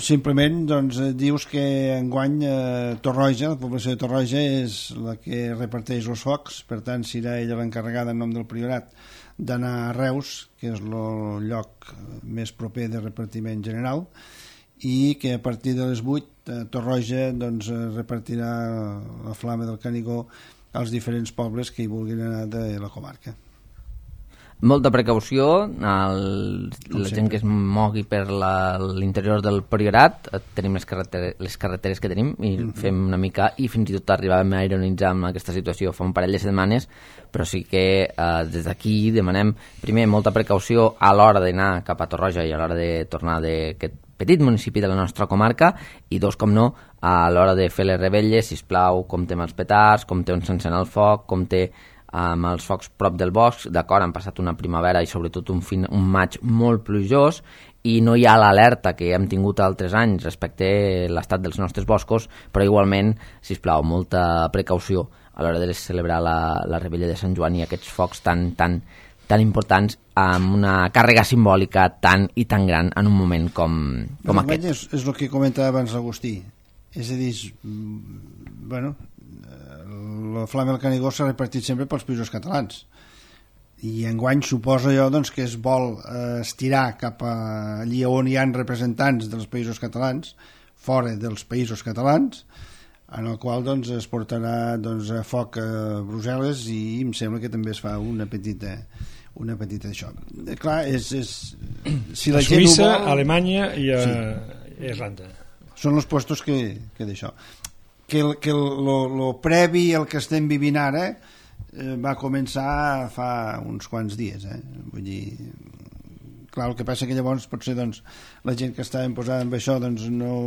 Simplement doncs, dius que enguany eh, Torroja, la població de Torroja és la que reparteix els focs, per tant serà ella l'encarregada en nom del Priorat d'anar a Reus, que és el lloc més proper de repartiment general, i que a partir de les vuit eh, Torroja doncs, repartirà la flama del Canigó als diferents pobles que hi vulguin anar de la comarca. Molta precaució, el, la gent que es mogui per la, l'interior del Priorat, tenim les carreteres, les carreteres que tenim i mm-hmm. fem una mica, i fins i tot arribàvem a ironitzar amb aquesta situació fa un parell de setmanes, però sí que eh, des d'aquí demanem primer molta precaució a l'hora d'anar cap a Torroja i a l'hora de tornar d'aquest petit municipi de la nostra comarca, i dos, com no, a l'hora de fer les revetlles, sisplau, compte amb els petards, compte on s'encén el foc, compte amb els focs prop del bosc. D'acord, han passat una primavera i sobretot un, fin, un maig molt plujós i no hi ha l'alerta que hem tingut altres anys respecte a l'estat dels nostres boscos, però igualment, sisplau, molta precaució a l'hora de celebrar la, la rebella de Sant Joan i aquests focs tan, tan, tan importants amb una càrrega simbòlica tan i tan gran en un moment com, com aquest. És, és el que comentava abans l'Agustí, és a dir, bueno, la flama del Canigó s'ha repartit sempre pels països catalans i enguany suposo jo doncs, que es vol eh, estirar cap a allí on hi ha representants dels països catalans fora dels països catalans, en el qual doncs, es portarà doncs, a foc a Brussel·les i em sembla que també es fa una petita una petita això. Clar, és, és, si la a gent Suïssa, ho vol, a Alemanya i a sí. Irlanda. Són els puestos que, que d'això. Que el, que el, lo, lo previ al que estem vivint ara eh, va començar fa uns quants dies, eh? Vull dir, clar, el que passa que llavors potser doncs, la gent que estava posada amb això doncs, no,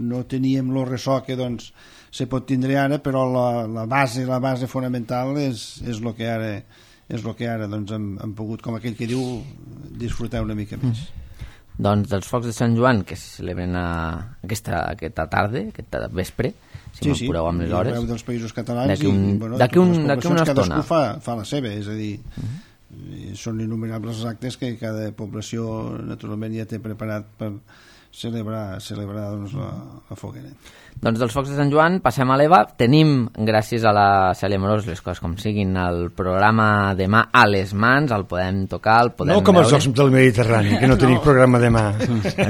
no teníem el ressò que doncs, se pot tindre ara, però la, la base la base fonamental és, és el que ara, és lo que ara doncs, hem, hem pogut, com aquell que diu, disfrutar una mica més. Mm. Doncs dels focs de Sant Joan que se celebren a aquesta, aquesta tarda, aquesta vespre, si sí, m'apureu amb les hores. Sí, dels països catalans d'aquí un, i bueno, d'aquí un, d'aquí una estona. Cadascú fa, fa la seva, és a dir, uh-huh. són innumerables els actes que cada població naturalment ja té preparat per celebrar, celebrar doncs, la, la foguera. Doncs dels focs de Sant Joan passem a l'Eva. Tenim, gràcies a la Cèlia Morós, les coses com siguin, el programa demà a les mans, el podem tocar, el podem no com veure. els Jocs del Mediterrani, que no, no. tenim programa demà.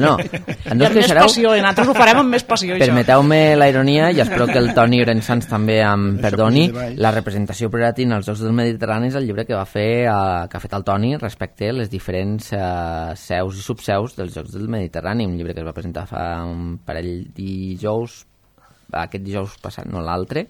No, amb més passió, i nosaltres ho farem amb més passió. Permeteu-me la ironia, i espero que el Toni Orensans també em perdoni, la representació prioratina als Jocs del Mediterrani és el llibre que va fer, uh, que ha fet el Toni respecte a les diferents uh, seus i subseus dels Jocs del Mediterrani, un llibre que es va presentar fa un parell dijous, aquest dijous passat, no l'altre,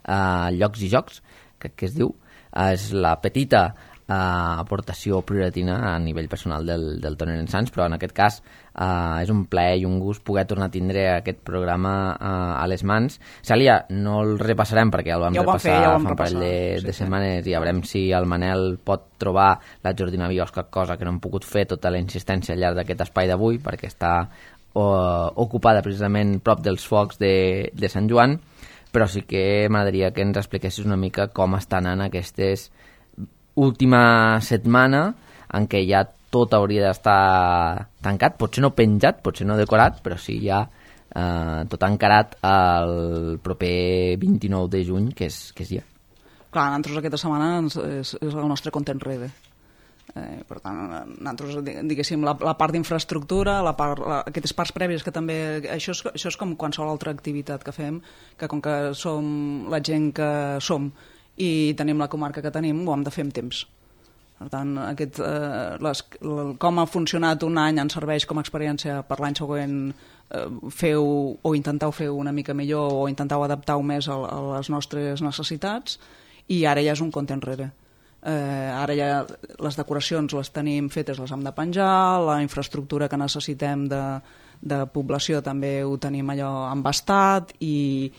uh, Llocs i Jocs, crec que es diu, uh, és la petita uh, aportació prioratina a nivell personal del, del Toni Orensans, però en aquest cas uh, és un plaer i un gust poder tornar a tindre aquest programa uh, a les mans. Cèlia, no el repassarem perquè el vam ja repassar fer, ja fa un parell de, sí, de setmanes sí. I ja veurem si el Manel pot trobar la Jordina Biosca, cosa que no hem pogut fer tota la insistència al llarg d'aquest espai d'avui perquè està o, ocupada precisament prop dels focs de, de Sant Joan, però sí que m'agradaria que ens expliquessis una mica com està anant aquestes última setmana en què ja tot hauria d'estar tancat, potser no penjat, potser no decorat, però sí ja eh, tot encarat el proper vint-i-nou de juny, que és, que és ja. Clar, nosaltres aquesta setmana és, és el nostre compte enrere. Eh, per tant, nosaltres, diguéssim, la, la part d'infraestructura, la part, la, aquestes parts prèvies que també... Això és, això és com qualsevol altra activitat que fem, que com que som la gent que som i tenim la comarca que tenim, ho hem de fer amb temps. Per tant, aquest, eh, les, com ha funcionat un any ens serveix com a experiència per l'any següent eh, feu o intenteu fer una mica millor o intenteu adaptar-ho més a, a les nostres necessitats, i ara ja és un compte enrere. Eh, ara ja les decoracions les tenim fetes, les hem de penjar, la infraestructura que necessitem de, de població també ho tenim allò embastat, i,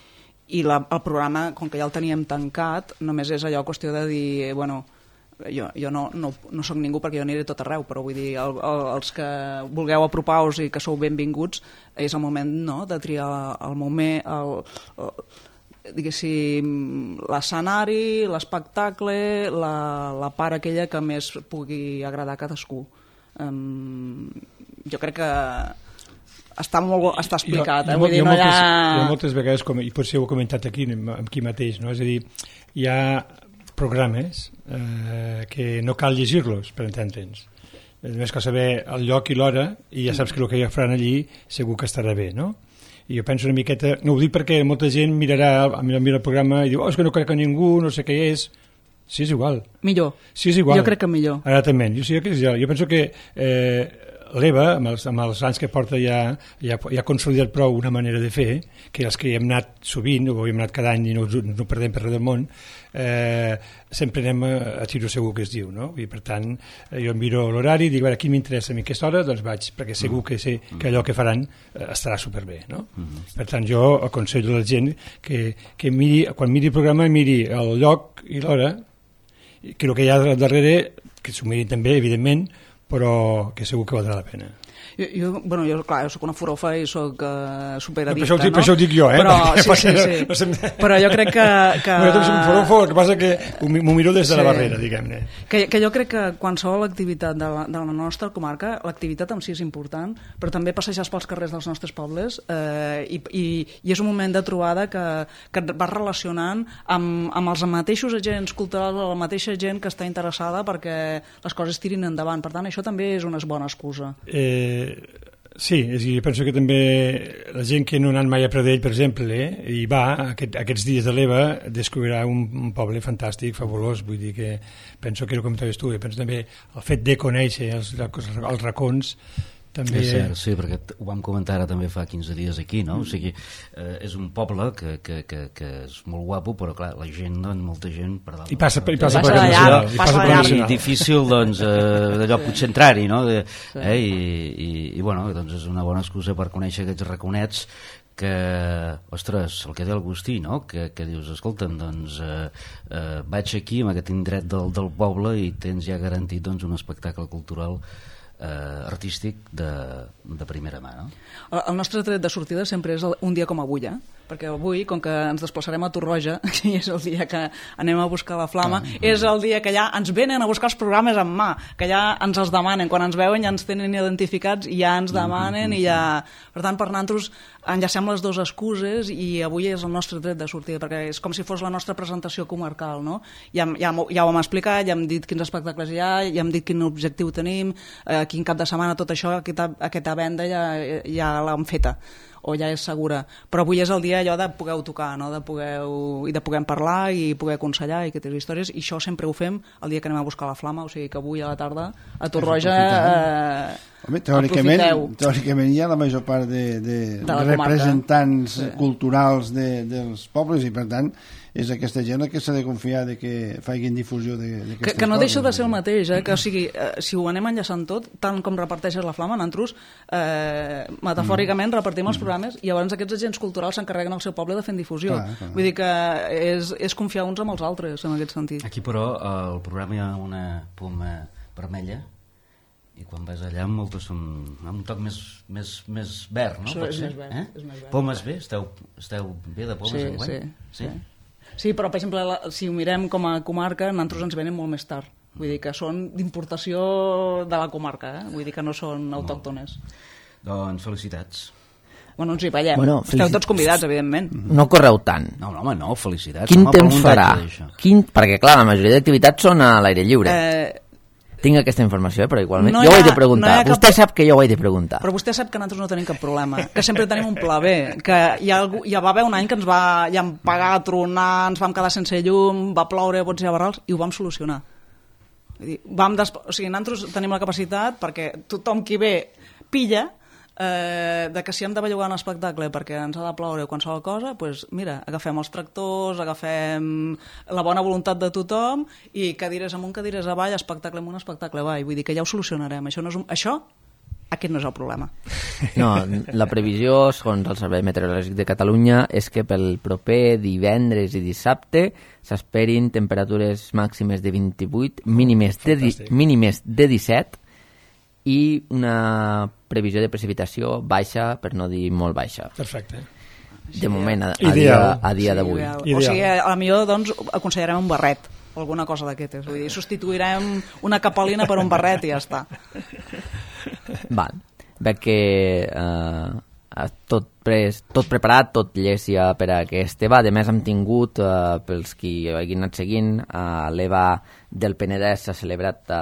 i la, el programa, com que ja el teníem tancat, només és allò qüestió de dir, bueno, jo, jo no, no, no soc ningú perquè jo aniré tot arreu, però vull dir, el, el, els que vulgueu apropar-vos i que sou benvinguts, és el moment, no?, de triar el moment, el, el, diguéssim, l'escenari, l'espectacle, la, la part aquella que més pugui agradar a cadascú. Um, jo crec que està molt està explicat, jo, eh? Vull dir, no hi ha... Jo moltes vegades, com, i potser ho he comentat aquí, aquí mateix, no? És a dir, hi ha programes eh, que no cal llegir-los per entendre'ns. Només cal saber el lloc i l'hora i ja saps que el que ja faran allí segur que estarà bé, no? I jo penso una miqueta, no ho dic perquè molta gent mirarà, mira el programa i diu, oh, és que no crec que ningú, no sé què és. Sí, és igual. Millor. Sí, és igual. Jo crec que millor. Exactament. Jo, sí, jo, jo penso que eh, l'Eva, amb els, amb els anys que porta ja, ja, ja ha consolidat prou una manera de fer, que els que hi hem anat sovint, o hem anat cada any i no, no perdem per res del món, eh, sempre anem a, a tiro segur que es diu, no? I per tant, eh, jo miro l'horari i dic, a qui m'interessa a mi aquesta hora, doncs vaig, perquè segur que sé que allò que faran eh, estarà superbé, no? Mm-hmm. Per tant, jo aconsello a la gent que, que miri, quan miri el programa, miri el lloc i l'hora, que el que hi ha darrere, que s'ho mirin també, evidentment, però que segur que valdrà la pena. Jo, jo, bueno, jo, clar, jo soc una furofa i soc uh, superaddicta, no? Per això, no? Per això ho dic jo, eh? Però, perquè, sí, sí, sí. No, no sem... Però jo crec que... que... No, jo també soc un furofo, el que passa que m'ho miro des de sí. la barrera, diguem-ne. Que, que jo crec que qualsevol activitat de la, de la nostra comarca, l'activitat en si és important, però també passejar pels carrers dels nostres pobles eh, i, i, i és un moment de trobada que, que et vas relacionant amb, amb els mateixos agents culturals, la mateixa gent que està interessada perquè les coses tirin endavant. Per tant, això també és una bona excusa. Eh... Sí, és a dir, penso que també la gent que no ha anat mai a Pradell, per exemple, eh, i va aquest, aquests dies de l'Eva, descobrirà un, un poble fantàstic, fabulós, vull dir que penso que era com comentaves tu, penso també el fet de conèixer els, els racons també... És cert, sí, perquè ho vam comentar ara també fa quinze dies aquí, no? O sigui, eh, és un poble que, que, que, que és molt guapo, però clar, la gent, doncs, molta gent per dalt. I passa, i passa, passa per allà, i passa passa allà. per I difícil, doncs, eh, d'allò potser entrar-hi, no? De, eh, i, i, I, bueno, doncs és una bona excusa per conèixer aquests raconets que, ostres, el que deia Agustí, no? Que, que dius, escolta'm, doncs, eh, eh, vaig aquí, en aquest indret del, del poble, i tens ja garantit, doncs, un espectacle cultural Eh, artístic de, de primera mà, no? El, el nostre tret de sortida sempre és el, un dia com avui, eh? Perquè avui, com que ens desplaçarem a Torroja, i és el dia que anem a buscar la flama, ah, és el dia que ja ens venen a buscar els programes en mà, que ja ens els demanen, quan ens veuen ja ens tenen identificats i ja ens demanen, mm-hmm. i ja... Per tant, per nosaltres enllacem les dues excuses i avui és el nostre tret de sortida, perquè és com si fos la nostra presentació comarcal, no? Ja, ja, ja ho hem explicat, ja hem dit quins espectacles hi ha, ja hem dit quin objectiu tenim, eh, quin cap de setmana, tot això, aquesta, aquesta venda ja, ja l'hem feta, o ja és segura, però avui és el dia allò de poder tocar, no? De poder, i de poder parlar i poder aconsellar i aquestes històries, i això sempre ho fem el dia que anem a buscar la flama, o sigui que avui a la tarda a Torroja eh, Home, teòricament, teòricament hi ha la major part de, de, de, de representants sí. culturals de, dels pobles, i per tant és aquesta gent que s'ha de confiar de que facin difusió d'aquestes coses. Que, que no deixa de ser el mateix, eh? Que, o sigui, eh, si ho anem enllaçant tot, tant com reparteixes la flama, nosaltres eh, metafòricament repartim els programes i llavors aquests agents culturals s'encarreguen al seu poble de fer difusió. Clar, clar. Vull dir que és, és confiar uns amb els altres, en aquest sentit. Aquí, però, al programa hi ha una poma vermella, i quan vas allà moltes són amb un toc més, més, més verd, no? Això és més verd, eh? és més verd. Pomes bé? Esteu, esteu bé de pomes sí, enguany? Sí, sí. sí. Sí, però, per exemple, la, si ho mirem com a comarca, nosaltres ens venen molt més tard. Vull dir que són d'importació de la comarca, eh? Vull dir que no són autòctones. Doncs felicitats. Bueno, ens hi veiem. Bueno, Esteu tots convidats, evidentment. No correu tant. No, no, home, no, felicitats. Quin home, temps farà? Quin... Perquè, clar, la majoria d'activitats són a l'aire lliure. Eh... Tinc aquesta informació, eh, però igualment no jo ha, ho he de preguntar. No vostè cap... sap que jo ho he de preguntar. Però vostè sap que nosaltres no tenim cap problema, que sempre tenim un pla B, que hi ha, algú, hi va haver un any que ens va ja pagar, tronar, ens vam quedar sense llum, va ploure, bots i barrals, i ho vam solucionar. Vull dir, vam des... o sigui, nosaltres tenim la capacitat perquè tothom qui ve pilla, eh, de que si hem de bellugar un espectacle perquè ens ha de ploure qualsevol cosa, doncs mira, agafem els tractors, agafem la bona voluntat de tothom i cadires amunt, cadires avall, espectacle amunt, espectacle avall. Vull dir que ja ho solucionarem. Això, no és un... Això aquest no és el problema. No, la previsió, segons el Servei Meteorològic de Catalunya, és que pel proper divendres i dissabte s'esperin temperatures màximes de vint-i-vuit, mínimes de, di mínimes de disset i una previsió de precipitació baixa, per no dir molt baixa. Perfecte. De moment, a, a dia, a dia sí, d'avui. O sigui, a la millor doncs, aconsellarem un barret, alguna cosa d'aquestes. Vull dir, substituirem una capolina per un barret i ja està. Val. Veig que eh, tot, pres, tot preparat, tot llest ja per a aquest EVA. A més, hem tingut, eh, pels qui hagin anat seguint, eh, l'EVA del Penedès s'ha celebrat eh,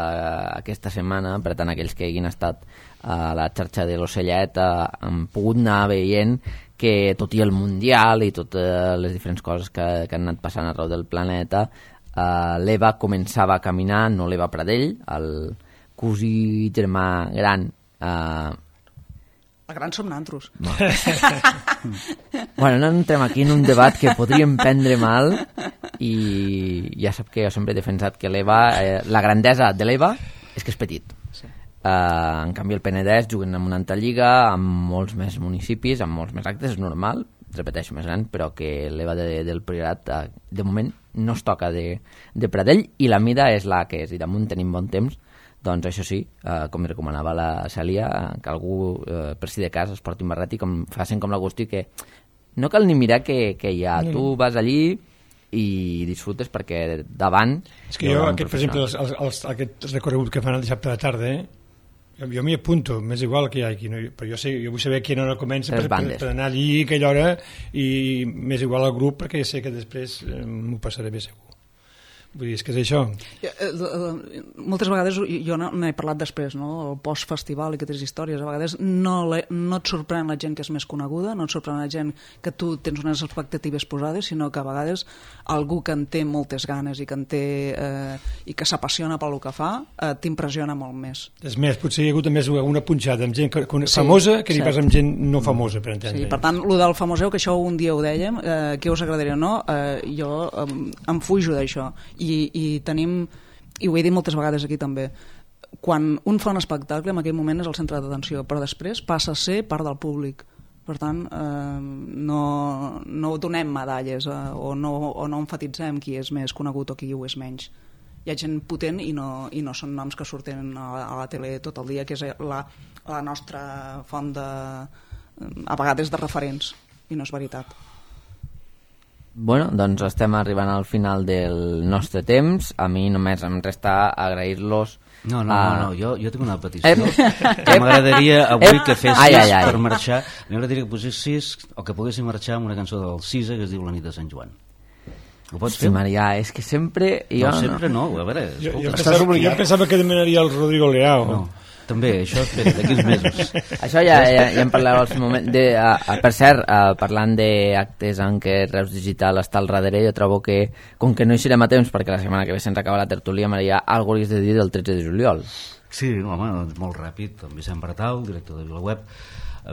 aquesta setmana, per tant, aquells que hagin estat a la xarxa de l'Ocellet eh, han pogut anar veient que tot i el Mundial i totes les diferents coses que, que han anat passant arreu del planeta, eh, l'EVA començava a caminar, no l'EVA Pradell, el cosí germà gran. Uh... El gran som nantros. No. Bueno, no entrem aquí en un debat que podríem prendre mal i ja sap que jo sempre he defensat que l'EVA, eh, la grandesa de l'EVA és que és petit. Sí. Uh, en canvi el Penedès juguen en una altra lliga, amb molts més municipis, amb molts més actes, és normal, repeteixo, més gran, però que l'EVA de, del Priorat uh, de moment no es toca de, de Pradell i la mida és la que és, i damunt tenim bon temps. Doncs això sí, eh, com recomanava la Cèlia, que algú, eh, per si de cas, es porti un barret i com, facin com l'Agustí, que no cal ni mirar què hi ha. No. Tu vas allí i disfrutes perquè davant... És que jo, aquest, per exemple, els, els, els, aquest recorregut que fan el dissabte de la tarda, eh, jo, jo m'hi apunto, m'és igual que hi ha aquí, no? Però jo, sé, jo vull saber a quina hora comença per, per, per anar allí a aquella hora i m'és igual al grup perquè sé que després eh, m'ho passaré bé segur. Vull dir, és que és això. Moltes vegades, jo n'he parlat després, no? El post-festival i aquestes històries, a vegades no, no et sorprèn la gent que és més coneguda, no et sorprèn la gent que tu tens unes expectatives posades, sinó que a vegades algú que en té moltes ganes i que en té eh, i que s'apassiona pel que fa, eh, t'impressiona molt més. És més, potser hi ha hagut més una punxada amb gent que, que, sí, famosa que ni pas amb gent no famosa, per entendre. Sí, per tant, el del famoseu, que això un dia ho dèiem, eh, què us agradaria o no, eh, jo eh, em fujo d'això. I, i tenim, i ho he dit moltes vegades aquí també, quan un fa un espectacle en aquell moment és el centre d'atenció, però després passa a ser part del públic. Per tant, eh, no, no donem medalles eh, o, no, o no enfatitzem qui és més conegut o qui ho és menys. Hi ha gent potent i no, i no són noms que surten a, a la tele tot el dia, que és la, la nostra font de, a vegades de referents, i no és veritat. Bueno, doncs estem arribant al final del nostre temps. A mi només em resta agrair-los. No, no, a... no, no, jo, jo tinc una petició. Que m'agradaria avui que fessis ai, ai, ai. per marxar. M'agradaria que posessis, o que poguéssim marxar amb una cançó del Cisa que es diu La nit de Sant Joan. Ho pots fer? Sí, Maria, és que sempre... Jo no, sempre no, a veure, jo, jo, pensava, jo pensava que demanaria el Rodrigo Leao. No. També, això espera, d'aquí uns mesos. Això ja, ja, ja en parlareu al moment. De, a, a, per cert, a, parlant d'actes en què Reus Digital està al darrere, jo trobo que, com que no hi serem a temps, perquè la setmana que ve se'ns acaba la tertúlia, Maria, alguna cosa has de dir del tretze de juliol. Sí, home, doncs molt ràpid. En Vicent Bertau, director de VilaWeb,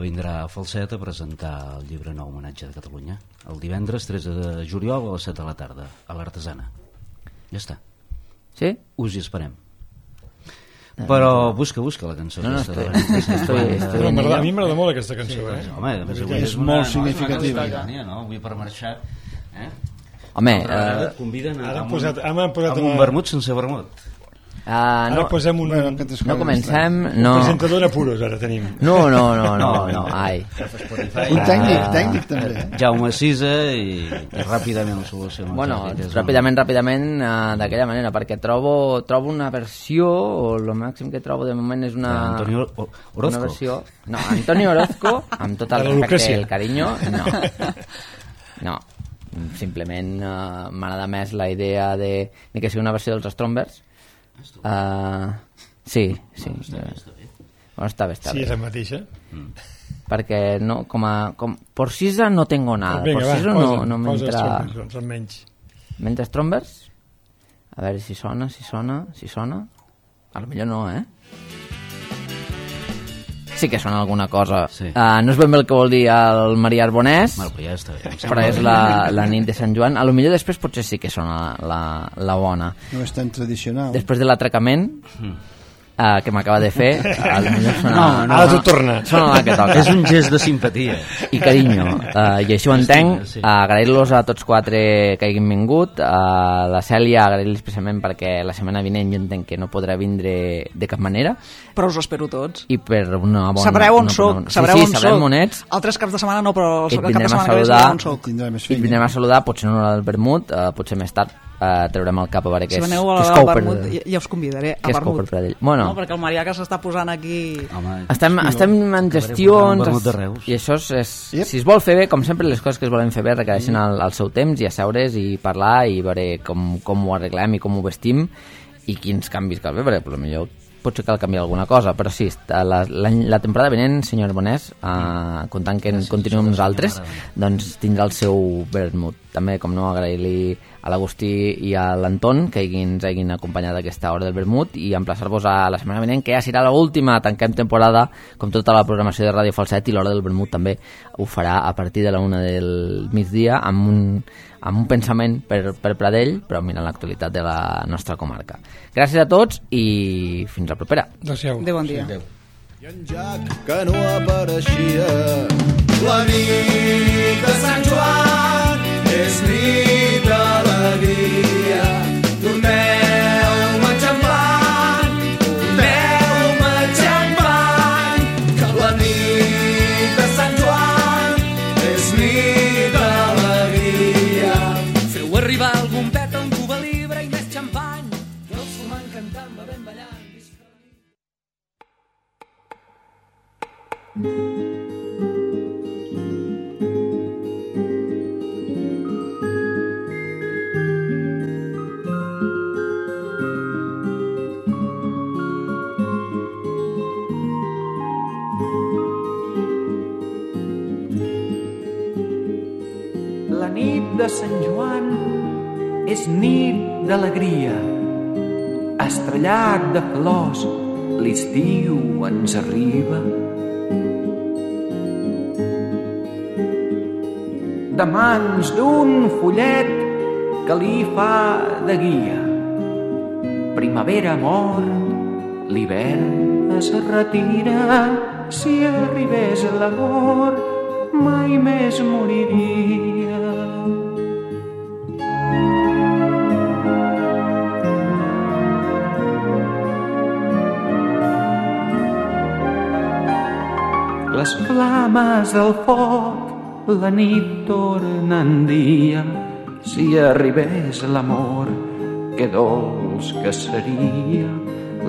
vindrà a Falset a presentar el llibre nou Homenatge de Catalunya el divendres tretze de juliol a les set de la tarda, a l'Artesana. Ja està. Sí? Us hi esperem. Però busca, busca la cançó. No, no, aquesta, estoy, estoy, estoy, estoy a mi m'agrada molt aquesta cançó. Sí, eh? Home, a més, avui és, és una, molt significativa. No? no? Avui per marxar... Eh? Home, ara et conviden a, ara amb, posat, un, posat amb un vermut sense vermut. Uh, no, posem un, bueno, no comencem no. Un presentador en apuros ara tenim. No, no, no, no, no, ai. Un tècnic, tècnic també. Jaume Sisa i, i ràpidament la solució. Bueno, ràpidament, ràpidament uh, d'aquella manera, perquè trobo trobo una versió, o el màxim que trobo de moment és una... Antonio Orozco. Una versió, no, Antonio Orozco, amb tot el respecte i el carinyo, no. No, simplement uh, m'agrada més la idea de, de que sigui una versió dels Strombers. Uh, sí, sí. Bueno, està bé, bueno, està bé, està sí, bé. és la mateixa. Mm. Perquè no, com a, com, por Sisa no tengo nada. Venga, por Sisa va, no, posa, no m'entra... Doncs, almenys. Mentre Strombers? A veure si sona, si sona, si sona. A lo millor no, eh? sí que sona alguna cosa. Sí. Uh, no és ben bé el que vol dir el Maria Arbonès, Bueno, però ja està bé. però és la, la nit de Sant Joan. A lo millor després potser sí que sona la, la bona. No és tan tradicional. Després de l'atracament, uh, que m'acaba de fer, a lo millor sona... No, no, Ara tot torna. Sona la que toca. És un gest de simpatia. I carinyo, uh, i així ho entenc. Sí. Uh, agrair-los a tots quatre que hagin vingut. Uh, la Cèlia, agrair-li especialment perquè la setmana vinent jo entenc que no podrà vindre de cap manera. Però us espero tots. I per una bona... Sabreu on una, soc, una, sabreu sí, on sí, sabrem soc. on ets. Altres caps de setmana no, però el I et cap de vindrem a setmana que ve saludar. sabreu on soc. Tindrà més I et feina. vindrem a saludar, potser no al vermut, uh, potser més tard uh, traurem el cap a veure què Si és, veneu a què és la cou per... Vermut, ja, ja us convidaré a Què és cou per Vermut. Pradell. Bueno, No, perquè el Marià que s'està posant aquí... Home, estem, estem en acabaré gestions posant un vermut de Reus. i això és, és Yep. si es vol fer bé, com sempre les coses que es volen fer bé requereixen el, el seu temps i asseure's i parlar i veure com, com ho arreglem i com ho vestim i quins canvis cal fer, perquè potser potser cal canviar alguna cosa, però sí, la, la, la temporada vinent, senyor Arbonès, uh, comptant que Gràcies, continuem amb nosaltres, doncs tindrà el seu vermut. També, com no, agrair-li a l'Agustí i a l'Anton que ens hagin acompanyat a aquesta hora del vermut i emplaçar-vos a la setmana vinent, que ja serà l'última, tanquem temporada, com tota la programació de Ràdio Falset, i l'hora del vermut també ho farà a partir de la una del migdia amb un, amb un pensament per, per Pradell, però mirant l'actualitat de la nostra comarca. Gràcies a tots i fins la propera. Adéu-siau. Adéu, bon dia. Adéu. I en Jack, que no apareixia, la nit de Sant Joan és nit d'alegria. Doneu-me xampany, doneu-me xampany, que la nit de Sant Joan és nit d'alegria. Feu arribar algun pet, un cuba libre i més xampany, i els fumant cantant, bevent, ballant. La nit de Sant Joan és nit d'alegria. Estrellat de flors, l'estiu ens arriba. De mans d'un follet que li fa de guia. Primavera mort, l'hivern es retira. Si arribés l'amor, mai més moriria. Les flames del foc, la nit torna en dia. Si arribés l'amor, que dolç que seria.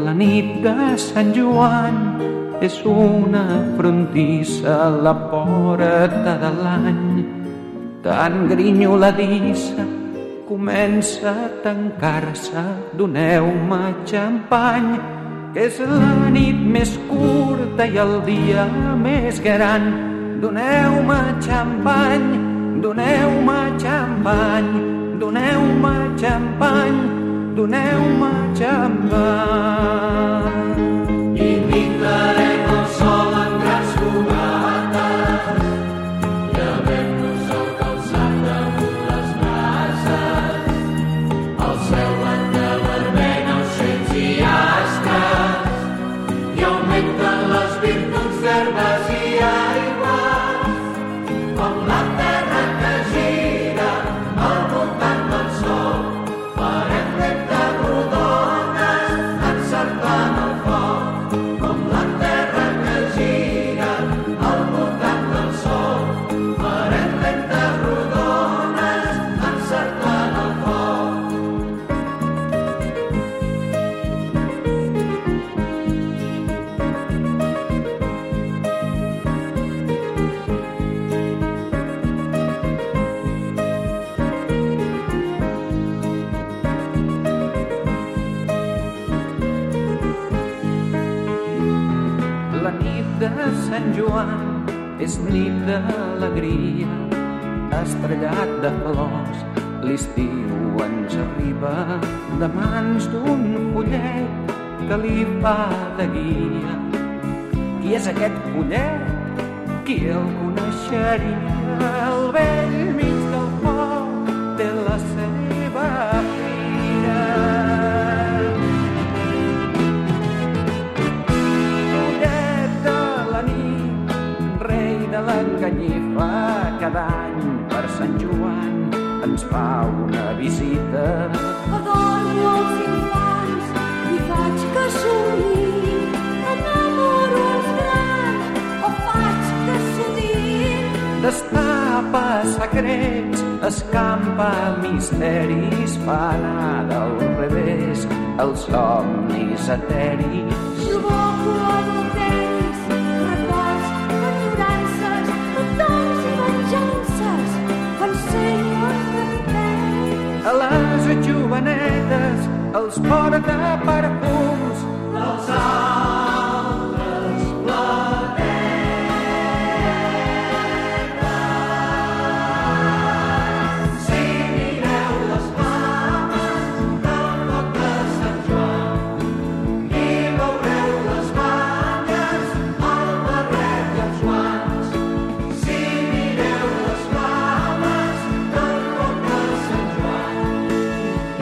La nit de Sant Joan és una frontissa a la porta de l'any. Tan grinyoladissa comença a tancar-se. Doneu-me xampany, que és la nit més curta i el dia més gran. Doneu-me xampany, doneu-me xampany, doneu-me xampany, doneu-me xampany. I pintarem el sol en grans fogates i havent-nos el calçat damunt les brases. El cel blanc de vermell, ocells i astres, i augmenten les virtuts d'herbes i aigües, com la terra que gira al voltant del sol. Farem lentes rodones encerclant el foc, com la terra que gira al voltant del sol. Farem lentes rodones encerclant el foc. La nit de Sant Joan és nit d'alegria. Estrellat de flors, l'estiu ens arriba. De mans d'un follet que li fa de guia. Qui és aquest collet? Qui el coneixeria? Al vell mig del foc té la seva fira. Collet de la nit, rei de l'enganyifa, cada any per Sant Joan ens fa una visita. Adormo els infants i faig que somniïn, enamoro els grans o faig que sudin. Destapa secrets, escampa misteris, fa anar del revés els somnis eteris. Provoco adulteris, records, enyorances, petons i venjances, ensenyo els repetis. A les jovenetes els porta perfums dels altres planetes. Si mireu les flames del foc de Sant Joan i veureu les banyes, el barret i els guants. Si mireu les flames del foc de Sant Joan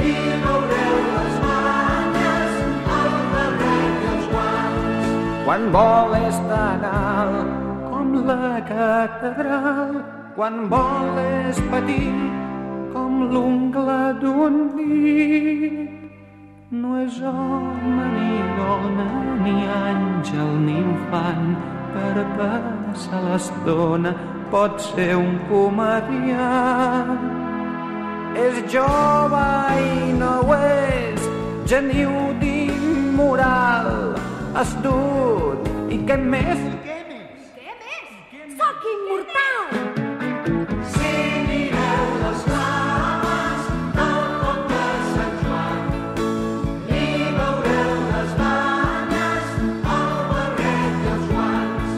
i veureu les banyes, el barret i els guants. Quan vol és tan alt com la catedral, quan vol és petit com l'ungla d'un dit. No és home ni dona, ni àngel ni infant, per passar l'estona pot ser un comediant. És jove i no ho és, geniu d'immoral, astut i què més? Què més? Soc immortal! Si mireu les flames del foc de Sant Joan i veureu les banyes, el barret i els guants.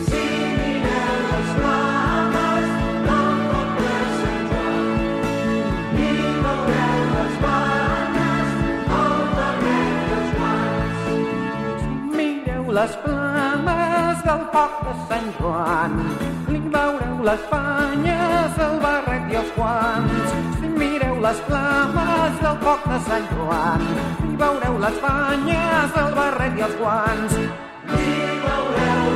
Si mireu les flames del foc de Sant Joan i veureu les banyes, el barret i els guants. Si mireu les flames del foc de Sant Joan i veureu les banyes, el barret i els guants. Si mireu les flames del foc de Sant Joan i veureu les banyes, el barret i els guants. I veureu